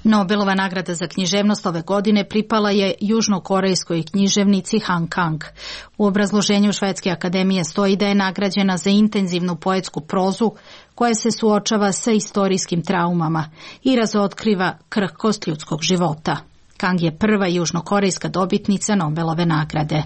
Nobelova nagrada za književnost ove godine pripala je južnokorejskoj književnici Han Kang. U obrazloženju Švedske akademije stoji da je nagrađena za intenzivnu poetsku prozu koja se suočava sa istorijskim traumama i razotkriva krhkost ljudskog života. Kang je prva južnokorejska dobitnica Nobelove nagrade.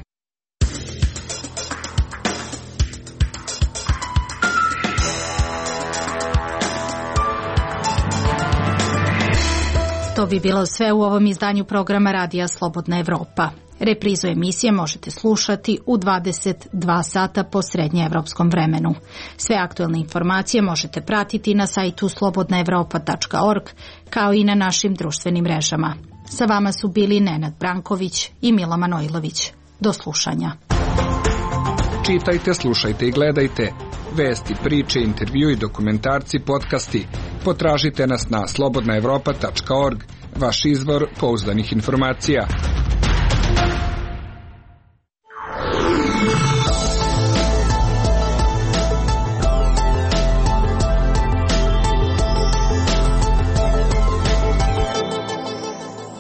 To bi bilo sve u ovom izdanju programa Radija Slobodna Evropa. Reprizu emisije možete slušati u dvadeset dva sata po srednjeevropskom vremenu. Sve aktualne informacije možete pratiti na sajtu slobodna evropa tačka org kao i na našim društvenim mrežama. Sa vama su bili Nenad Branković i Mila Manojlović. Do slušanja. Čitajte, slušajte i gledajte vesti, priče, intervju i dokumentarci, podcasti. Potražite nas na slobodna evropa tačka org, vaš izvor pouzdanih informacija.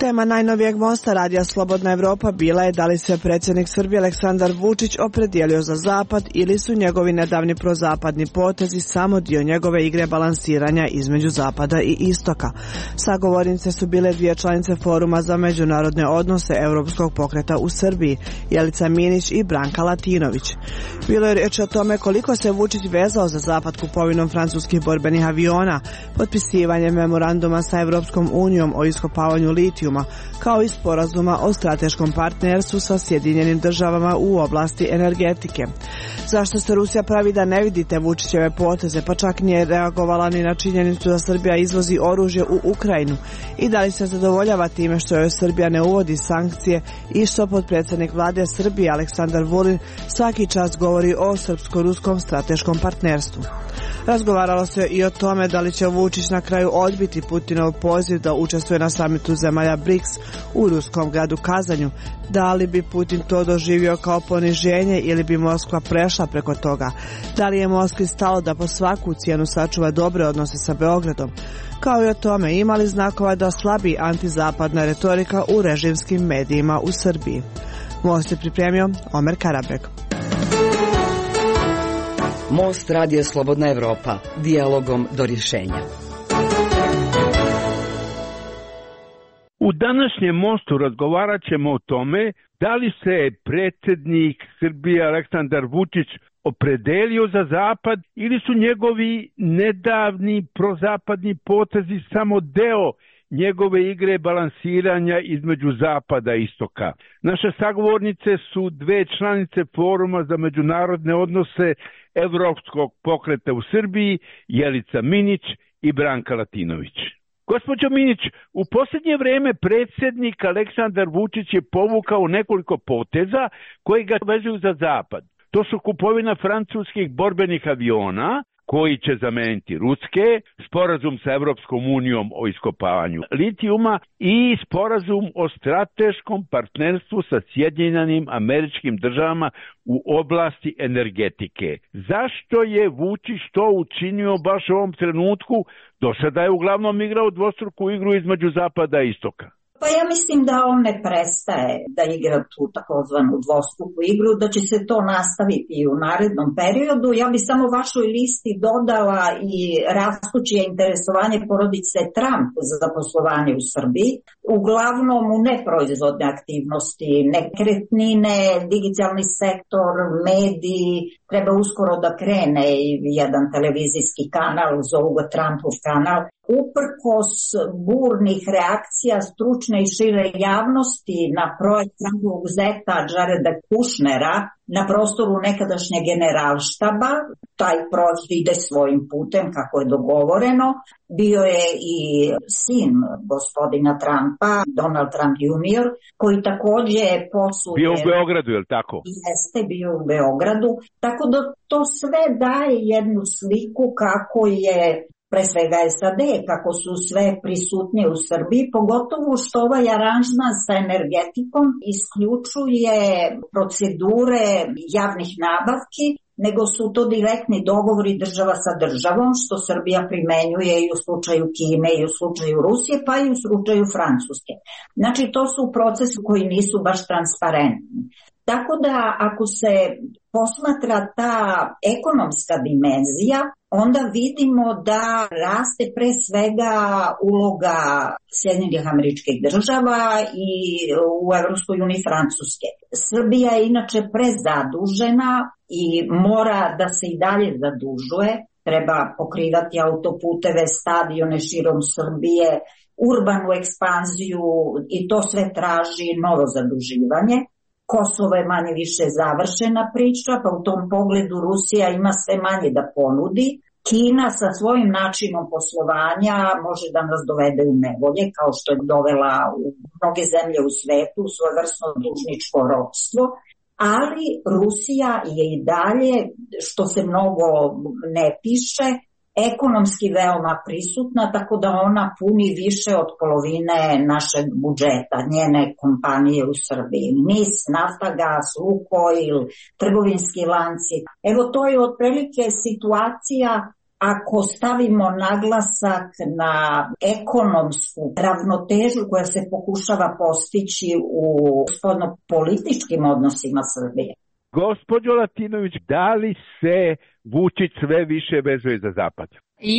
Tema najnovijeg mosta Radija Slobodna Evropa bila je da li se predsjednik Srbije Aleksandar Vučić opredijelio za zapad ili su njegovi nedavni prozapadni potezi samo dio njegove igre balansiranja između zapada i istoka. Sagovornice su bile dvije članice Foruma za međunarodne odnose Europskog pokreta u Srbiji, Jelica Minić i Branka Latinović. Bilo je riječ o tome koliko se Vučić vezao za zapad kupovinom francuskih borbenih aviona, potpisivanjem memoranduma sa Evropskom unijom o iskopavanju litijuma, kao i sporazuma o strateškom partnerstvu sa Sjedinjenim državama u oblasti energetike. Zašto se Rusija pravi da ne vidite Vučićeve poteze, pa čak nije reagovala ni na činjenicu da Srbija izvozi oružje u Ukrajinu i da li se zadovoljava time što joj Srbija ne uvodi sankcije i što potpredsjednik vlade Srbije Aleksandar Vulin svaki čas govori o srpsko-ruskom strateškom partnerstvu. Razgovaralo se i o tome da li će Vučić na kraju odbiti Putinov poziv da učestvuje na samitu zemalja B R I C S u ruskom gradu Kazanju. Da li bi Putin to doživio kao poniženje ili bi Moskva prešla preko toga? Da li je Moskvi stalo da po svaku cijenu sačuva dobre odnose sa Beogradom? Kao i o tome ima li znakova da slabi antizapadna retorika u režimskim medijima u Srbiji? Most je pripremio Omer Karabek. Most Radija Slobodna Evropa, dijalogom do rješenja. U današnjem mostu razgovarat ćemo o tome da li se predsjednik Srbije Aleksandar Vučić opredelio za zapad ili su njegovi nedavni prozapadni potezi samo deo njegove igre balansiranja između zapada i istoka. Naše sagovornice su dve članice Foruma za međunarodne odnose Evropskog pokreta u Srbiji, Jelica Minić i Branka Latinović. Gospođo Minić, u posljednje vrijeme predsjednik Aleksandar Vučić je povukao nekoliko poteza koji ga vezuju za zapad. To su kupovina francuskih borbenih aviona, koji će zameniti ruske, sporazum sa Evropskom unijom o iskopavanju litijuma i sporazum o strateškom partnerstvu sa Sjedinjenim Američkim Državama u oblasti energetike. Zašto je Vučić to učinio baš u ovom trenutku? Do sada je uglavnom igrao dvostruku igru između zapada i istoka. Pa ja mislim da on ne prestaje da igra tu takozvanu dvostruku igru, da će se to nastaviti i u narednom periodu. Ja bi samo vašoj listi dodala i rastuće interesovanje porodice Trump za poslovanje u Srbiji, uglavnom u neproizvodne aktivnosti, nekretnine, digitalni sektor, mediji. Treba uskoro da krene i jedan televizijski kanal, zovu ga Trumpov kanal. Uprkos burnih reakcija stručne i šire javnosti na projekt Trumpovog zeta Jareda Kushnera na prostoru nekadašnje generalštaba, taj projekt ide svojim putem kako je dogovoreno. Bio je i sin gospodina Trumpa, Donald Trump junior, koji također posluje... Bio u Beogradu, je li tako? Jeste, bio u Beogradu. Tako da to sve daje jednu sliku kako je pre svega S A D, kako su sve prisutnije u Srbiji, pogotovo što ovaj aranžman sa energetikom isključuje procedure javnih nabavki, nego su to direktni dogovori država sa državom, što Srbija primenjuje i u slučaju Kine i u slučaju Rusije, pa i u slučaju Francuske. Znači, to su procesi koji nisu baš transparentni. Tako da ako se posmatra ta ekonomska dimenzija, onda vidimo da raste pre svega uloga Sjedinjenih Američkih Država i u Evropskoj uniji Francuske. Srbija je inače prezadužena i mora da se i dalje zadužuje. Treba pokrivati autoputeve, stadione širom Srbije urbanu ekspanziju i to sve traži novo zaduživanje. Kosovo je manje više završena priča, pa u tom pogledu Rusija ima sve manje da ponudi. Kina sa svojim načinom poslovanja može da nas dovede u nevolje, kao što je dovela u mnoge zemlje u svetu, svojevrsno dužničko ropstvo, ali Rusija je i dalje, što se mnogo ne piše, ekonomski veoma prisutna, tako da ona puni više od polovine našeg budžeta, njene kompanije u Srbiji. NIS, Naftagas, Lukoil, trgovinski lanci. Evo to je otprilike situacija. Ako stavimo naglasak na ekonomsku ravnotežu koja se pokušava postići u spoljnopolitičkim odnosima Srbije. Gospođo Latinović, da li se Vučić sve više vezuje za Zapad?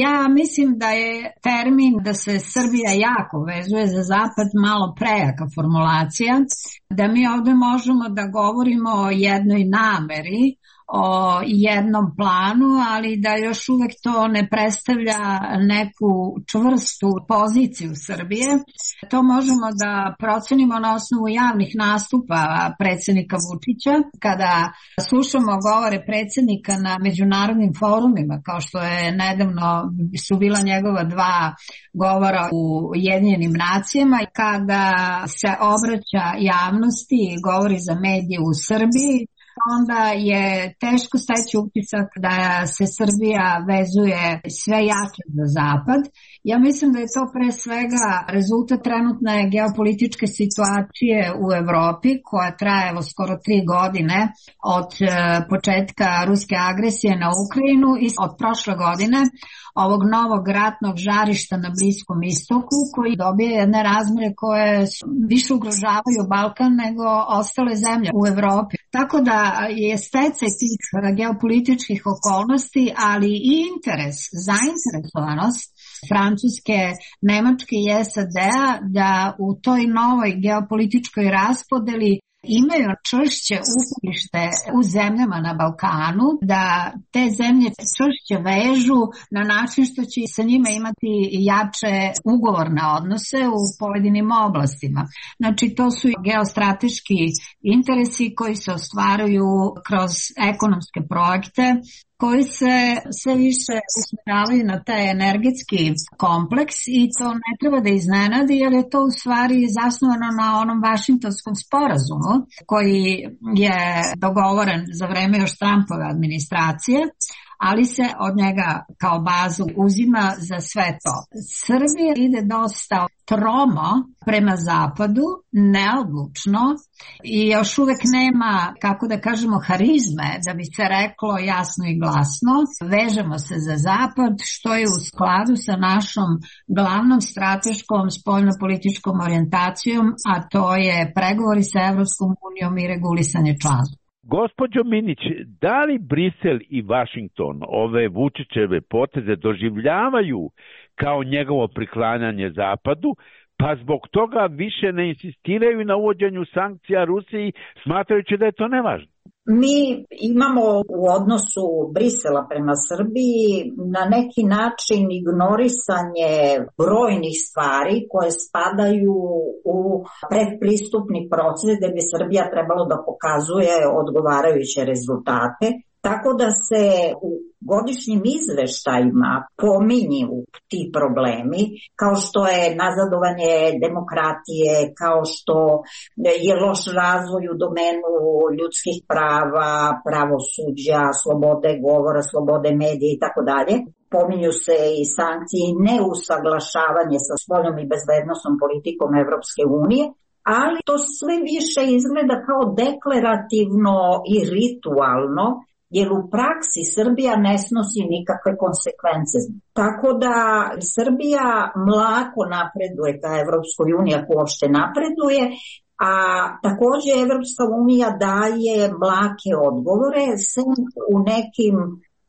Ja mislim da je termin da se Srbija jako vezuje za Zapad malo prejaka formulacija, da mi ovde možemo da govorimo o jednoj nameri, o jednom planu, ali da još uvek to ne predstavlja neku čvrstu poziciju Srbije. To možemo da procenimo na osnovu javnih nastupa predsjednika Vučića. Kada slušamo govore predsjednika na međunarodnim forumima, kao što je nedavno su bila njegova dva govora u Ujedinjenim nacijama, kada se obraća javnosti i govori za medije u Srbiji, onda je teško steći utisak da se Srbija vezuje sve jače za Zapad. Ja mislim da je to pre svega rezultat trenutne geopolitičke situacije u Evropi koja traje evo skoro tri godine od početka ruske agresije na Ukrajinu i od prošle godine ovog novog ratnog žarišta na Bliskom istoku koji dobije jedne razmere koje više ugrožavaju Balkan nego ostale zemlje u Evropi. Tako da je stecaj tih geopolitičkih okolnosti, ali i interes, zainteresovanost Francuske, Nemačke i S A D-a da u toj novoj geopolitičkoj raspodeli imaju čvršće uporište u zemljama na Balkanu, da te zemlje čvršće vežu na način što će sa njima imati jače ugovorne odnose u pojedinim oblastima. Znači to su geostrateški interesi koji se ostvaruju kroz ekonomske projekte koji se sve više usmjeravaju na taj energetski kompleks i to ne treba da iznenadi jer je to u stvari zasnovano na onom Vašingtonskom sporazumu koji je dogovoren za vreme još Trumpove administracije, ali se od njega kao bazu uzima za sve to. Srbija ide dosta tromo prema zapadu, neodlučno i još uvek nema, kako da kažemo, harizme da bi se reklo jasno i glasno. Vežemo se za zapad, što je u skladu sa našom glavnom strateškom spoljnopolitičkom orijentacijom, a to je pregovori sa Evropskom unijom i regulisanje članstva. Gospođo Minić, da li Brisel i Vašington ove Vučićeve poteze doživljavaju kao njegovo priklanjanje Zapadu, pa zbog toga više ne insistiraju na uvođenju sankcija Rusiji, smatrajući da je to nevažno? Mi imamo u odnosu Brisela prema Srbiji na neki način ignorisanje brojnih stvari koje spadaju u predpristupni proces gde bi Srbija trebalo da pokazuje odgovarajuće rezultate. Tako da se u godišnjim izveštajima pominju ti problemi, kao što je nazadovanje demokratije, kao što je loš razvoj u domenu ljudskih prava, pravosuđa, slobode govora, slobode medija i tako dalje. Pominju se i sankcije i neusaglašavanje sa spoljnom i bezbednosnom politikom Evropske unije, ali to sve više izgleda kao deklarativno i ritualno, jer u praksi Srbija ne snosi nikakve konsekvence. Tako da Srbija mlako napreduje ka Evropskoj uniji, ako uopšte napreduje, a takođe Evropska unija daje mlake odgovore sem u nekim,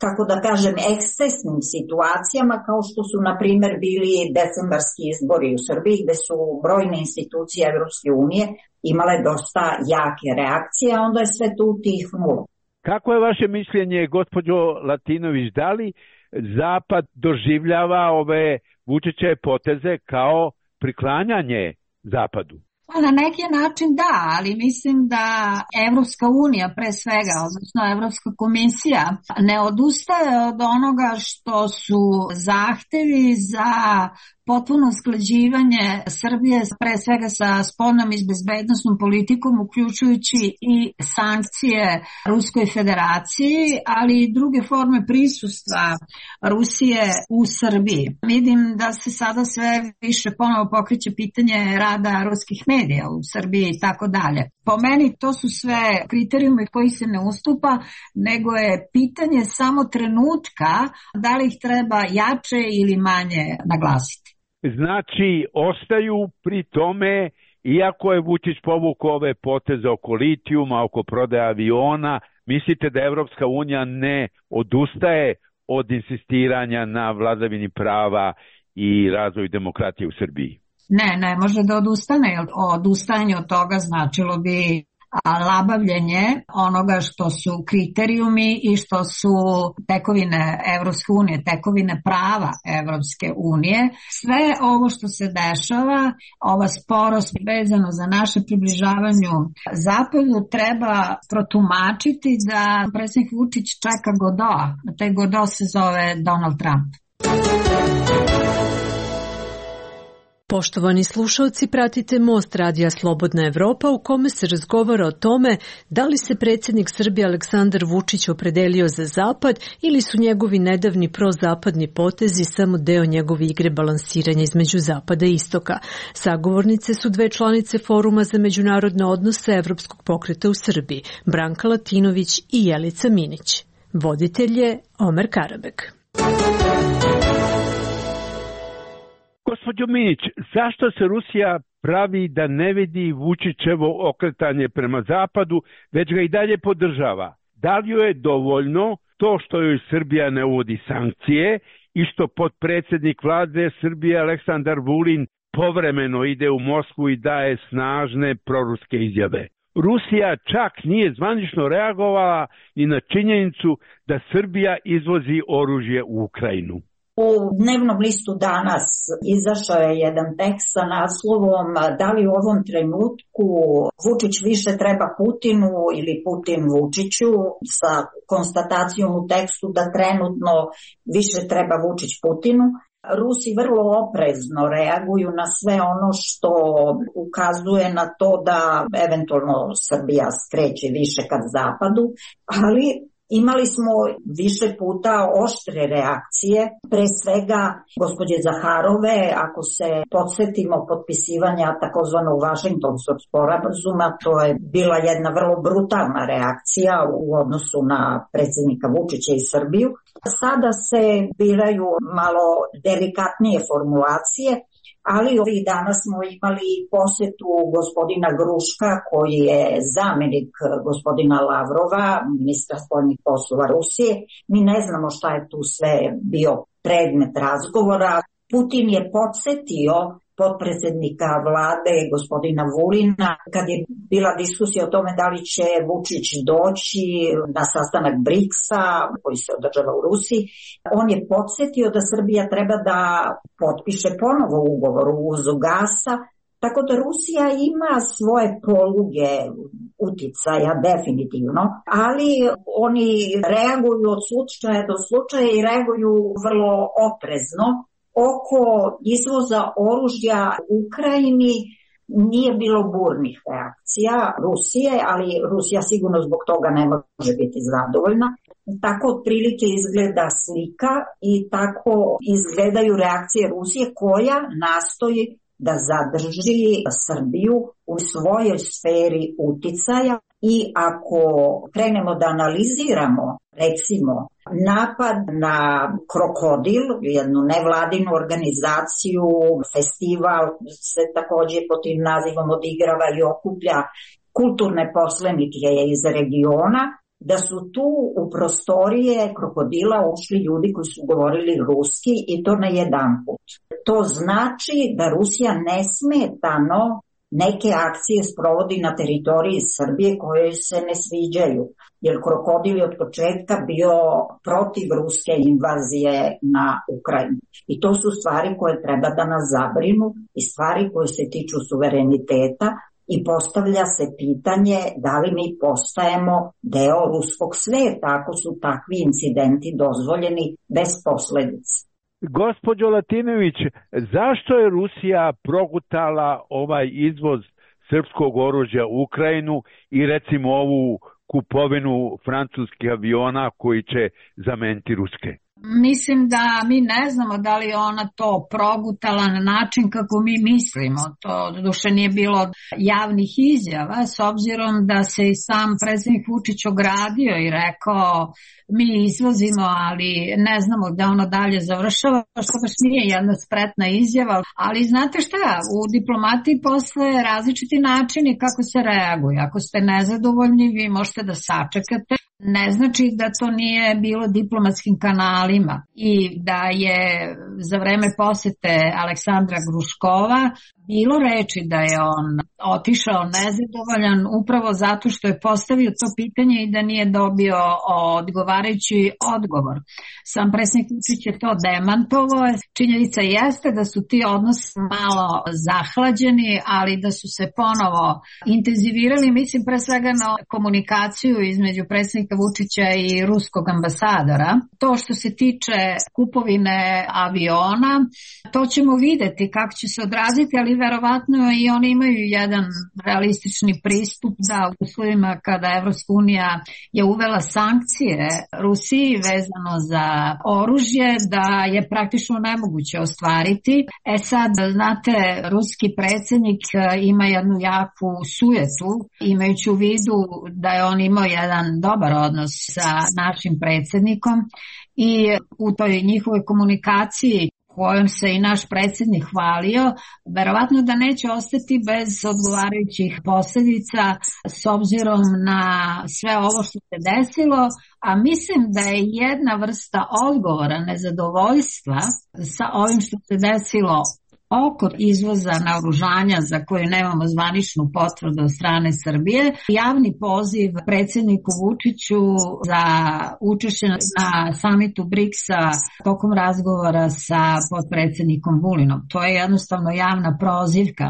kako da kažem, ekscesnim situacijama, kao što su, na primjer, bili decembarski izbori u Srbiji, gde su brojne institucije Evropske unije imale dosta jake reakcije, a onda je sve tu utihnulo. Kako je vaše mišljenje, gospođo Latinović, da li Zapad doživljava ove Vučićeve poteze kao priklanjanje Zapadu? Na neki način da, ali mislim da Evropska unija pre svega, odnosno Evropska komisija, ne odustaje od onoga što su zahtevi za potpuno usklađivanje Srbije pre svega sa spoljnom i bezbednosnom politikom, uključujući i sankcije Ruskoj federaciji, ali i druge forme prisustva Rusije u Srbiji. Vidim da se sada sve više ponovo pokreće pitanje rada ruskih medija u Srbiji i tako dalje. Po meni to su sve kriterijumi koji se ne ustupa, nego je pitanje samo trenutka da li ih treba jače ili manje naglasiti. Znači, ostaju pri tome, iako je Vučić povukao ove poteze oko litijuma, oko prodaje aviona, mislite da Evropska unija ne odustaje od insistiranja na vladavini prava i razvoju demokratije u Srbiji? Ne, ne može da odustane. Odustajanje od toga značilo bi labavljenje onoga što su kriterijumi i što su tekovine Evropske unije, tekovine prava Evropske unije. Sve ovo što se dešava, ova sporost vezano za naše približavanju Zapadu treba protumačiti da predsjednik Vučić čeka Godot. Taj Godot se zove Donald Trump. Poštovani slušalci, pratite Most radija Slobodna Evropa u kome se razgovara o tome da li se predsjednik Srbije Aleksandar Vučić opredelio za Zapad ili su njegovi nedavni prozapadni potezi samo deo njegove igre balansiranja između Zapada i Istoka. Sagovornice su dve članice Foruma za međunarodne odnose Evropskog pokreta u Srbiji, Branka Latinović i Jelica Minić. Voditelj je Omer Karabek. Gospođo Minić, zašto se Rusija pravi da ne vidi Vučićevo okretanje prema Zapadu, već ga i dalje podržava? Da li joj je dovoljno to što joj Srbija ne uvodi sankcije i što potpredsjednik vlade Srbije Aleksandar Vulin povremeno ide u Moskvu i daje snažne proruske izjave? Rusija čak nije zvanično reagovala ni na činjenicu da Srbija izvozi oružje u Ukrajinu. U dnevnom listu danas izašao je jedan tekst sa naslovom da li u ovom trenutku Vučić više treba Putinu ili Putin Vučiću, sa konstatacijom u tekstu da trenutno više treba Vučić Putinu. Rusi vrlo oprezno reaguju na sve ono što ukazuje na to da eventualno Srbija skreće više ka zapadu, ali imali smo više puta oštre reakcije, pre svega gospođe Zaharove, ako se podsjetimo potpisivanja takozvanog Vašingtonskog sporazuma, to je bila jedna vrlo brutalna reakcija u odnosu na predsjednika Vučića i Srbiju. Sada se biraju malo delikatnije formulacije, ali ovih dana smo imali posjetu gospodina Gruška, koji je zamjenik gospodina Lavrova, ministra spoljnih poslova Rusije. Mi ne znamo šta je tu sve bio predmet razgovora. Putin je podsjetio potpredsjednika vlade gospodina Vulina kad je bila diskusija o tome da li će Vučić doći na sastanak briksa koji se održava u Rusiji. On je podsjetio da Srbija treba da potpiše ponovo ugovor o uvozu gasa, tako da Rusija ima svoje poluge uticaja definitivno, ali oni reaguju od slučaja do slučaja i reaguju vrlo oprezno. Oko izvoza oružja Ukrajini nije bilo burnih reakcija Rusije, ali Rusija sigurno zbog toga ne može biti zadovoljna. Tako otprilike izgleda slika i tako izgledaju reakcije Rusije koja nastoji da zadrži Srbiju u svojoj sferi uticaja i ako krenemo da analiziramo recimo napad na Krokodil, jednu nevladinu organizaciju, festival se također pod tim nazivom odigrava i okuplja kulturne poslenike iz regiona, da su tu u prostorije Krokodila ušli ljudi koji su govorili ruski i to ne jedan put. To znači da Rusija nesmetano neke akcije sprovodi na teritoriji Srbije koje se ne sviđaju, jer Krokodil je od početka bio protiv ruske invazije na Ukrajinu. I to su stvari koje treba da nas zabrinu i stvari koje se tiču suvereniteta i postavlja se pitanje da li mi postajemo deo ruskog sveta ako su takvi incidenti dozvoljeni bez posledica. Gospođo Latinović, zašto je Rusija progutala ovaj izvoz srpskog oružja u Ukrajinu i recimo ovu kupovinu francuskih aviona koji će zameniti ruske? Mislim da mi ne znamo da li ona to progutala na način kako mi mislimo. To doduše nije bilo javnih izjava, s obzirom da se i sam predsjednik Vučić ogradio i rekao mi izvozimo, ali ne znamo da ono dalje završava, što baš nije jedna spretna izjava. Ali znate šta, u diplomatiji postoje različiti načini kako se reaguje. Ako ste nezadovoljni, vi možete da sačekate. Ne znači da to nije bilo diplomatskim kanalima i da je za vreme posete Aleksandra Gruškova bilo reči da je on otišao nezadovoljan upravo zato što je postavio to pitanje i da nije dobio odgovarajući odgovor. Sam predsjednik Vučić je to demantovao. Činjenica jeste da su ti odnosi malo zahlađeni, ali da su se ponovo intenzivirali, mislim pre svega na komunikaciju između predsjednika Vučića i ruskog ambasadora. To što se tiče kupovine aviona, to ćemo videti kako će se odraziti, ali verovatno i oni imaju jedan realistični pristup da u uslovima kada Evropska unija je uvela sankcije Rusiji vezano za oružje, da je praktično nemoguće ostvariti. E sad, znate, ruski predsjednik ima jednu jaku sujetu, imajući u vidu da je on imao jedan dobar odnos sa našim predsjednikom i u toj njihovoj komunikaciji kojom se i naš predsjednik hvalio, verovatno da neće ostati bez odgovarajućih posljedica s obzirom na sve ovo što se desilo, a mislim da je jedna vrsta odgovora nezadovoljstva sa ovim što se desilo oko izvoza naoružanja za koju nemamo zvaničnu potvrdu od strane Srbije, javni poziv predsjedniku Vučiću za učešće na samitu briksa tokom razgovora sa potpredsjednikom Vulinom. To je jednostavno javna prozivka.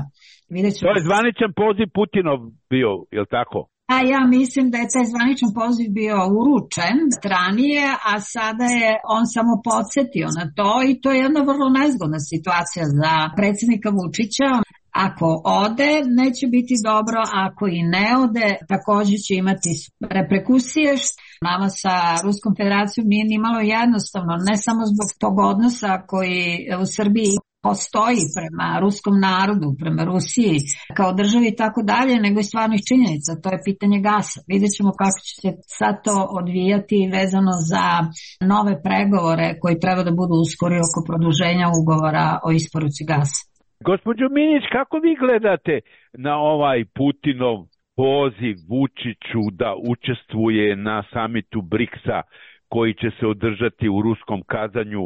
To je zvaničan poziv Putinov bio, je li tako? A ja mislim da je taj zvaničan poziv bio uručen ranije, a sada je on samo podsjetio na to i to je jedna vrlo nezgodna situacija za predsjednika Vučića. Ako ode, neće biti dobro, ako i ne ode, također će imati reperkusije. Nama sa Ruskom federacijom nije ni malo jednostavno, ne samo zbog tog odnosa koji u Srbiji postoji prema ruskom narodu, prema Rusiji kao državi i tako dalje, nego i stvarnih činjenica. To je pitanje gasa. Vidjet ćemo kako će se sad to odvijati vezano za nove pregovore koji treba da budu uskori oko produženja ugovora o isporuci gasa. Gospođo Minić, kako vi gledate na ovaj Putinov poziv Vučiću da učestvuje na samitu briksa koji će se održati u ruskom Kazanju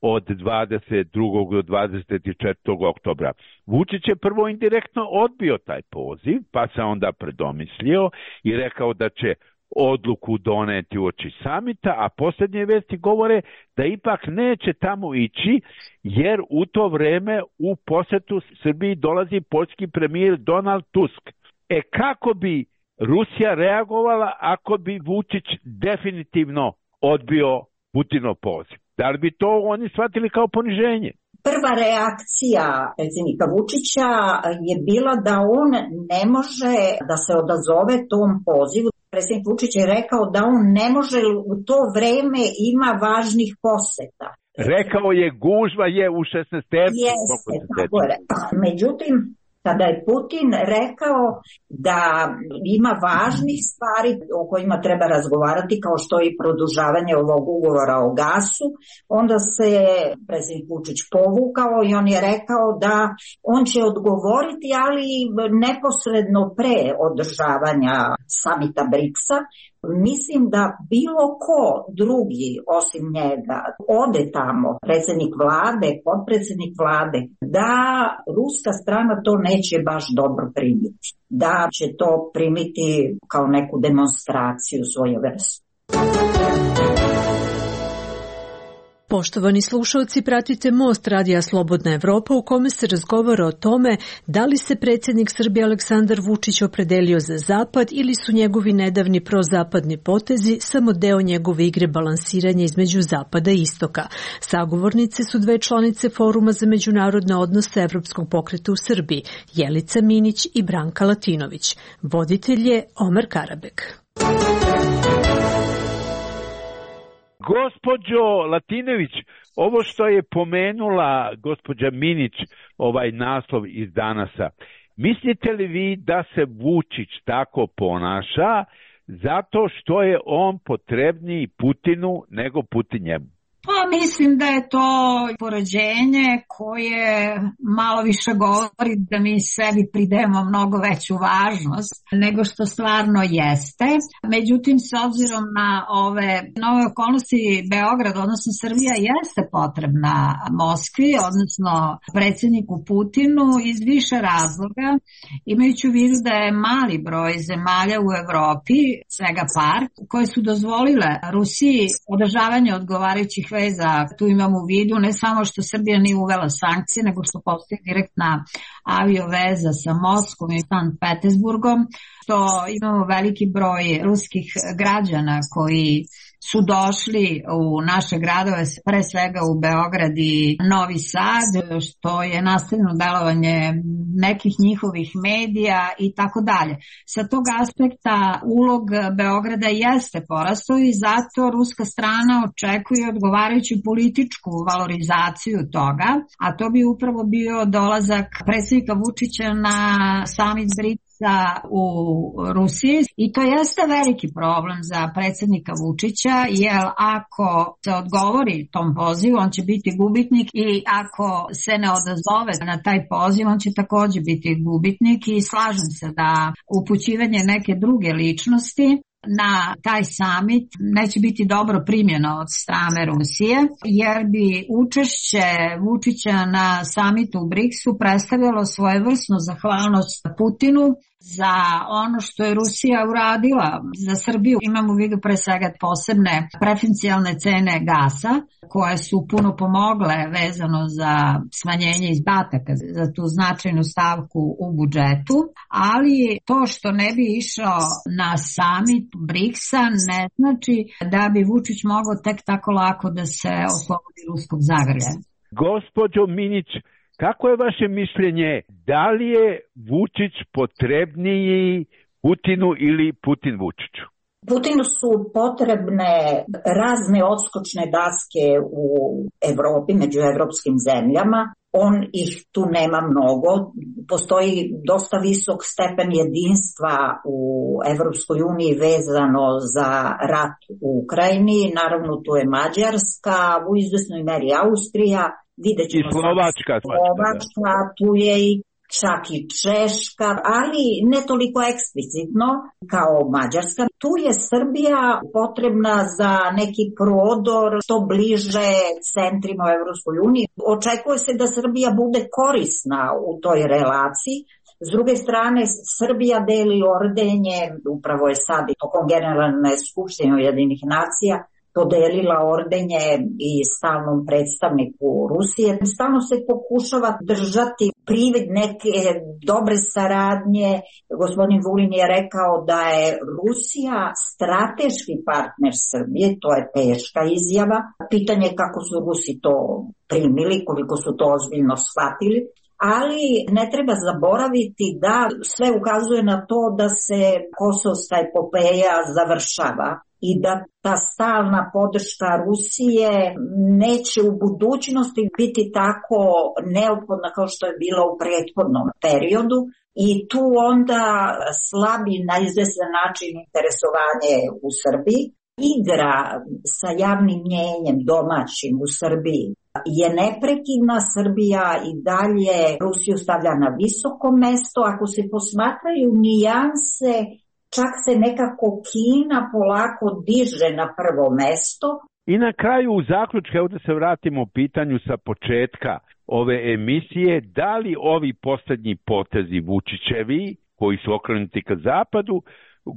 od dvadeset drugog do dvadeset četvrtog oktobra. Vučić je prvo indirektno odbio taj poziv, pa se onda predomislio i rekao da će odluku doneti uoči samita, a posljednje vesti govore da ipak neće tamo ići, jer u to vreme u posetu Srbiji dolazi poljski premijer Donald Tusk. E kako bi Rusija reagovala ako bi Vučić definitivno odbio Putinov poziv? Da li bi to oni shvatili kao poniženje? Prva reakcija predsjednika Vučića je bila da on ne može da se odazove tom pozivu. Predsjednik Vučić je rekao da on ne može, u to vreme ima važnih poseta. Rekao je gužva je u šesnaestercu. Jeste, tako je. Međutim, kada je Putin rekao da ima važnih stvari o kojima treba razgovarati, kao što je i produžavanje ovog ugovora o gasu, onda se predsjednik Vučić povukao i on je rekao da on će odgovoriti, ali neposredno pre održavanja samita briksa, Mislim da bilo ko drugi osim njega ode tamo, predsjednik vlade, potpredsjednik vlade, da ruska strana to neće baš dobro primiti. Da će to primiti kao neku demonstraciju svoje vrste. Poštovani slušalci, pratite Most radija Slobodna Evropa u kome se razgovara o tome da li se predsjednik Srbije Aleksandar Vučić opredelio za zapad ili su njegovi nedavni prozapadni potezi samo deo njegove igre balansiranja između zapada i istoka. Sagovornice su dve članice Foruma za međunarodne odnose Evropskog pokreta u Srbiji, Jelica Minić i Branka Latinović. Voditelj je Omer Karabek. Gospođo Latinović, ovo što je pomenula gospođa Minić, ovaj naslov iz Danasa, mislite li vi da se Vučić tako ponaša zato što je on potrebniji Putinu nego Putin njemu? Pa mislim da je to poređenje koje malo više govori da mi sebi pridemo mnogo veću važnost nego što stvarno jeste. Međutim, s obzirom na ove nove okolnosti, Beograd, odnosno Srbija, jeste potrebna Moskvi, odnosno predsjedniku Putinu iz više razloga, imajući u vidu da je mali broj zemalja u Evropi, svega par, koje su dozvolile Rusiji održavanje odgovarajućih veza. Tu imamo u vidu ne samo što Srbija nije uvela sankcije, nego što postoji direktna avioveza sa Moskvom i Sankt Petersburgom, što imamo veliki broj ruskih građana koji su došli u naše gradove, pre svega u Beograd i Novi Sad, što je nastavljeno delovanje nekih njihovih medija i tako dalje. Sa tog aspekta ulog Beograda jeste porastao i zato ruska strana očekuje odgovarajuću političku valorizaciju toga, a to bi upravo bio dolazak predsjednika Vučića na samit BRICS u Rusiji i to jeste veliki problem za predsjednika Vučića, jer ako se odgovori tom pozivu, on će biti gubitnik i ako se ne odazove na taj poziv, on će također biti gubitnik i slažem se da upućivanje neke druge ličnosti na taj samit neće biti dobro primljeno od strane Rusije, jer bi učešće Vučića na samitu u BRICS-u predstavljalo svojevrsnu zahvalnost Putinu za ono što je Rusija uradila za Srbiju. Imamo u vidu pre svega posebne preferencijalne cene gasa koje su puno pomogle vezano za smanjenje izdataka za tu značajnu stavku u budžetu, ali to što ne bi išao na samit BRICS-a ne znači da bi Vučić mogao tek tako lako da se oslobodi ruskog zagrlja. Gospođo Minić, kako je vaše mišljenje, da li je Vučić potrebniji Putinu ili Putin Vučiću? Putinu su potrebne razne odskočne daske u Evropi, među evropskim zemljama. On ih tu nema mnogo. Postoji dosta visok stepen jedinstva u Evropskoj uniji vezano za rat u Ukrajini. Naravno, tu je Mađarska, u izvesnoj meri Austrija. Vidjet ćemo i Slovačka, Slovačka, tu je i čak i Češka, ali ne toliko eksplicitno kao Mađarska. Tu je Srbija potrebna za neki prodor što bliže centrima u Evropskoj uniji. Očekuje se da Srbija bude korisna u toj relaciji. S druge strane, Srbija deli ordenje, upravo je sad tokom Generalne skupštine Ujedinjenih nacija podelila ordenje i stalnom predstavniku Rusije. Stalno se pokušava držati privid neke dobre saradnje. Gospodin Vulin je rekao da je Rusija strateški partner Srbije, to je teška izjava. Pitanje je kako su Rusi to primili, koliko su to ozbiljno shvatili. Ali ne treba zaboraviti da sve ukazuje na to da se kosovska epopeja završava i da ta stalna podrška Rusije neće u budućnosti biti tako neophodna kao što je bila u prethodnom periodu i tu onda slabi na izvestan način interesovanje u Srbiji. Igra sa javnim mnjenjem domaćim u Srbiji je neprekidna. Srbija i dalje Rusiju stavlja na visoko mesto. Ako se posmatraju nijanse čak se nekako Kina polako diže na prvo mesto. I na kraju u zaključku, evo da se vratimo u pitanju sa početka ove emisije, da li ovi poslednji potezi Vučićevi, koji su okrenuti ka zapadu,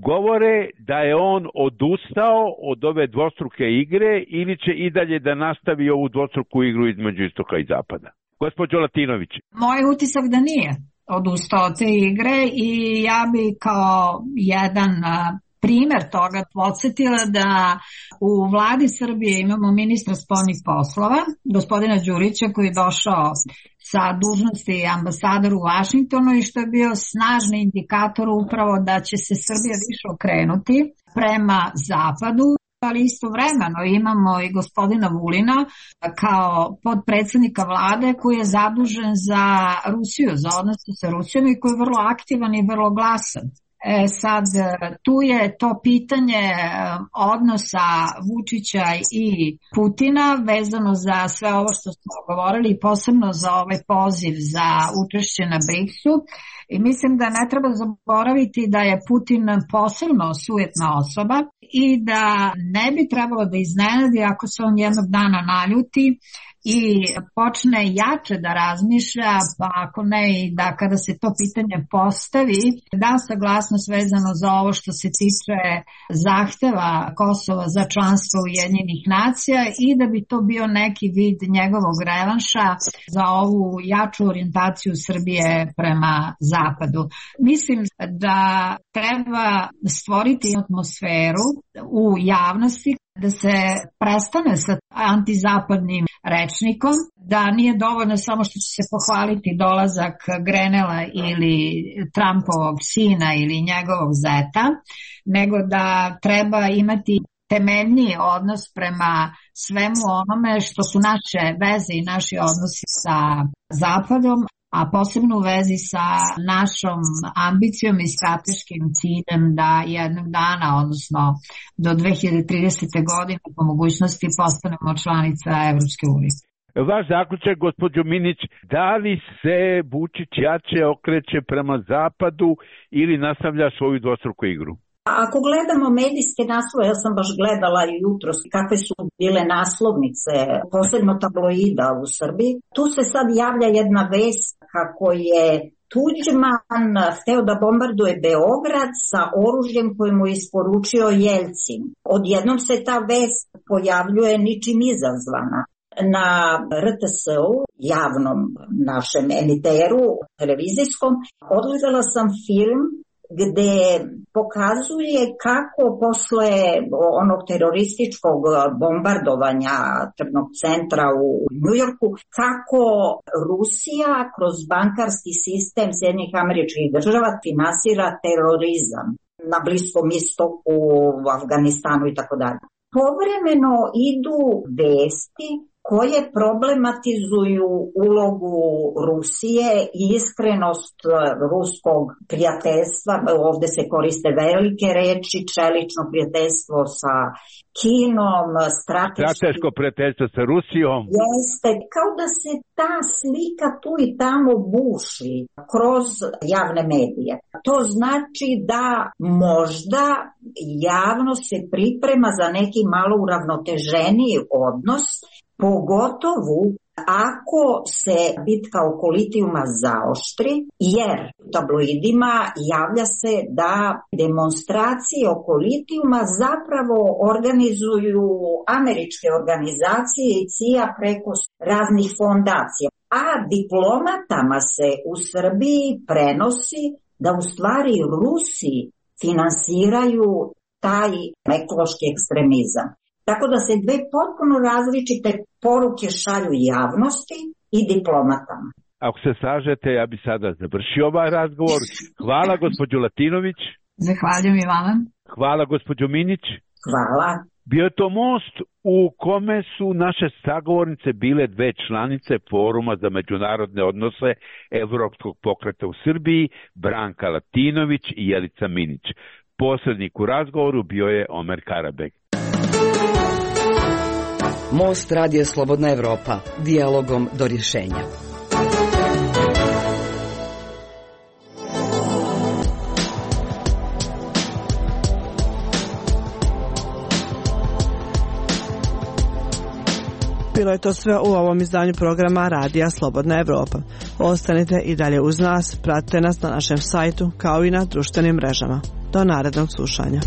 govore da je on odustao od ove dvostruke igre ili će i dalje da nastavi ovu dvostruku igru između istoka i zapada? Gospođo Latinović. Moj utisak da nije odustao od te igre i ja bi kao jedan primer toga podsjetila da u vladi Srbije imamo ministra spoljnih poslova, gospodina Đurića, koji je došao sa dužnosti ambasadora u Vašingtonu i što je bio snažni indikator upravo da će se Srbija više okrenuti prema zapadu. Ali istovremeno imamo i gospodina Vulina kao podpredsednika vlade koji je zadužen za Rusiju, za odnose sa Rusijom i koji je vrlo aktivan i vrlo glasan. E sad, tu je to pitanje odnosa Vučića i Putina vezano za sve ovo što smo govorili i posebno za ovaj poziv za učešće na briksu. I mislim da ne treba zaboraviti da je Putin posebno sujetna osoba i da ne bi trebalo da iznenadi ako se on jednog dana naljuti i počne jače da razmišlja, pa ako ne i da kada se to pitanje postavi, da saglasnost vezano za ovo što se tiče zahteva Kosova za članstvo Ujedinjenih nacija i da bi to bio neki vid njegovog revanša za ovu jaču orijentaciju Srbije prema zapadu. Mislim da treba stvoriti atmosferu u javnosti da se prestane sa antizapadnim rečnikom, da nije dovoljno samo što će se pohvaliti dolazak Grenela ili Trumpovog sina ili njegovog zeta, nego da treba imati temeljniji odnos prema svemu onome što su naše veze i naši odnosi sa Zapadom, a posebno u vezi sa našom ambicijom i strateškim ciljem da jednog dana, odnosno do dve hiljade tridesete. godine po mogućnosti postanemo članica Evropske unije. Vaš zaključak, gospođo Minić, da li se Vučić jače okreće prema zapadu ili nastavlja svoju dvostruku igru? Ako gledamo medijske naslove, ja sam baš gledala i jutros kakve su bile naslovnice, posebno tabloida u Srbiji, tu se sad javlja jedna vest kako je Tuđman hteo da bombarduje Beograd sa oružjem koje mu je isporučio Jelcin. Odjednom se ta vest pojavljuje ničim izazvana. Na R T S-u, javnom našem emiteru, televizijskom, odgledala sam film gde pokazuje kako posle onog terorističkog bombardovanja tržnog centra u Njujorku, kako Rusija kroz bankarski sistem Sjedinjenih Američkih Država finansira terorizam na Bliskom istoku, u Afganistanu i tako dalje. Povremeno idu vesti koje problematizuju ulogu Rusije i iskrenost ruskog prijateljstva. Ovde se koriste velike reči, čelično prijateljstvo sa Kinom, strateško, strateško prijateljstvo sa Rusijom. Jeste, kao da se ta slika tu i tamo buši kroz javne medije. To znači da možda javno se priprema za neki malo uravnoteženiji odnos, pogotovo ako se bitka oko litijuma zaoštri, jer u tabloidima javlja se da demonstracije oko litijuma zapravo organizuju američke organizacije i C I A preko raznih fondacija. A diplomatama se u Srbiji prenosi da u stvari Rusi finansiraju taj ekološki ekstremizam. Tako da se dve potpuno različite poruke šalju javnosti i diplomatama. Ako se slažete, ja bi sada završio ovaj razgovor. Hvala gospođo Latinović. Zahvaljujem i vama. Hvala gospođo Minić. Hvala. Bio je to most u kome su naše sagovornice bile dve članice Foruma za međunarodne odnose Evropskog pokreta u Srbiji, Branka Latinović i Jelica Minić. Posrednik u razgovoru bio je Omer Karabeg. Most Radija Slobodna Evropa, dijalogom do rješenja. Bilo je to sve u ovom izdanju programa Radija Slobodna Evropa. Ostanite i dalje uz nas, pratite nas na našem sajtu kao i na društvenim mrežama. Do narednog slušanja.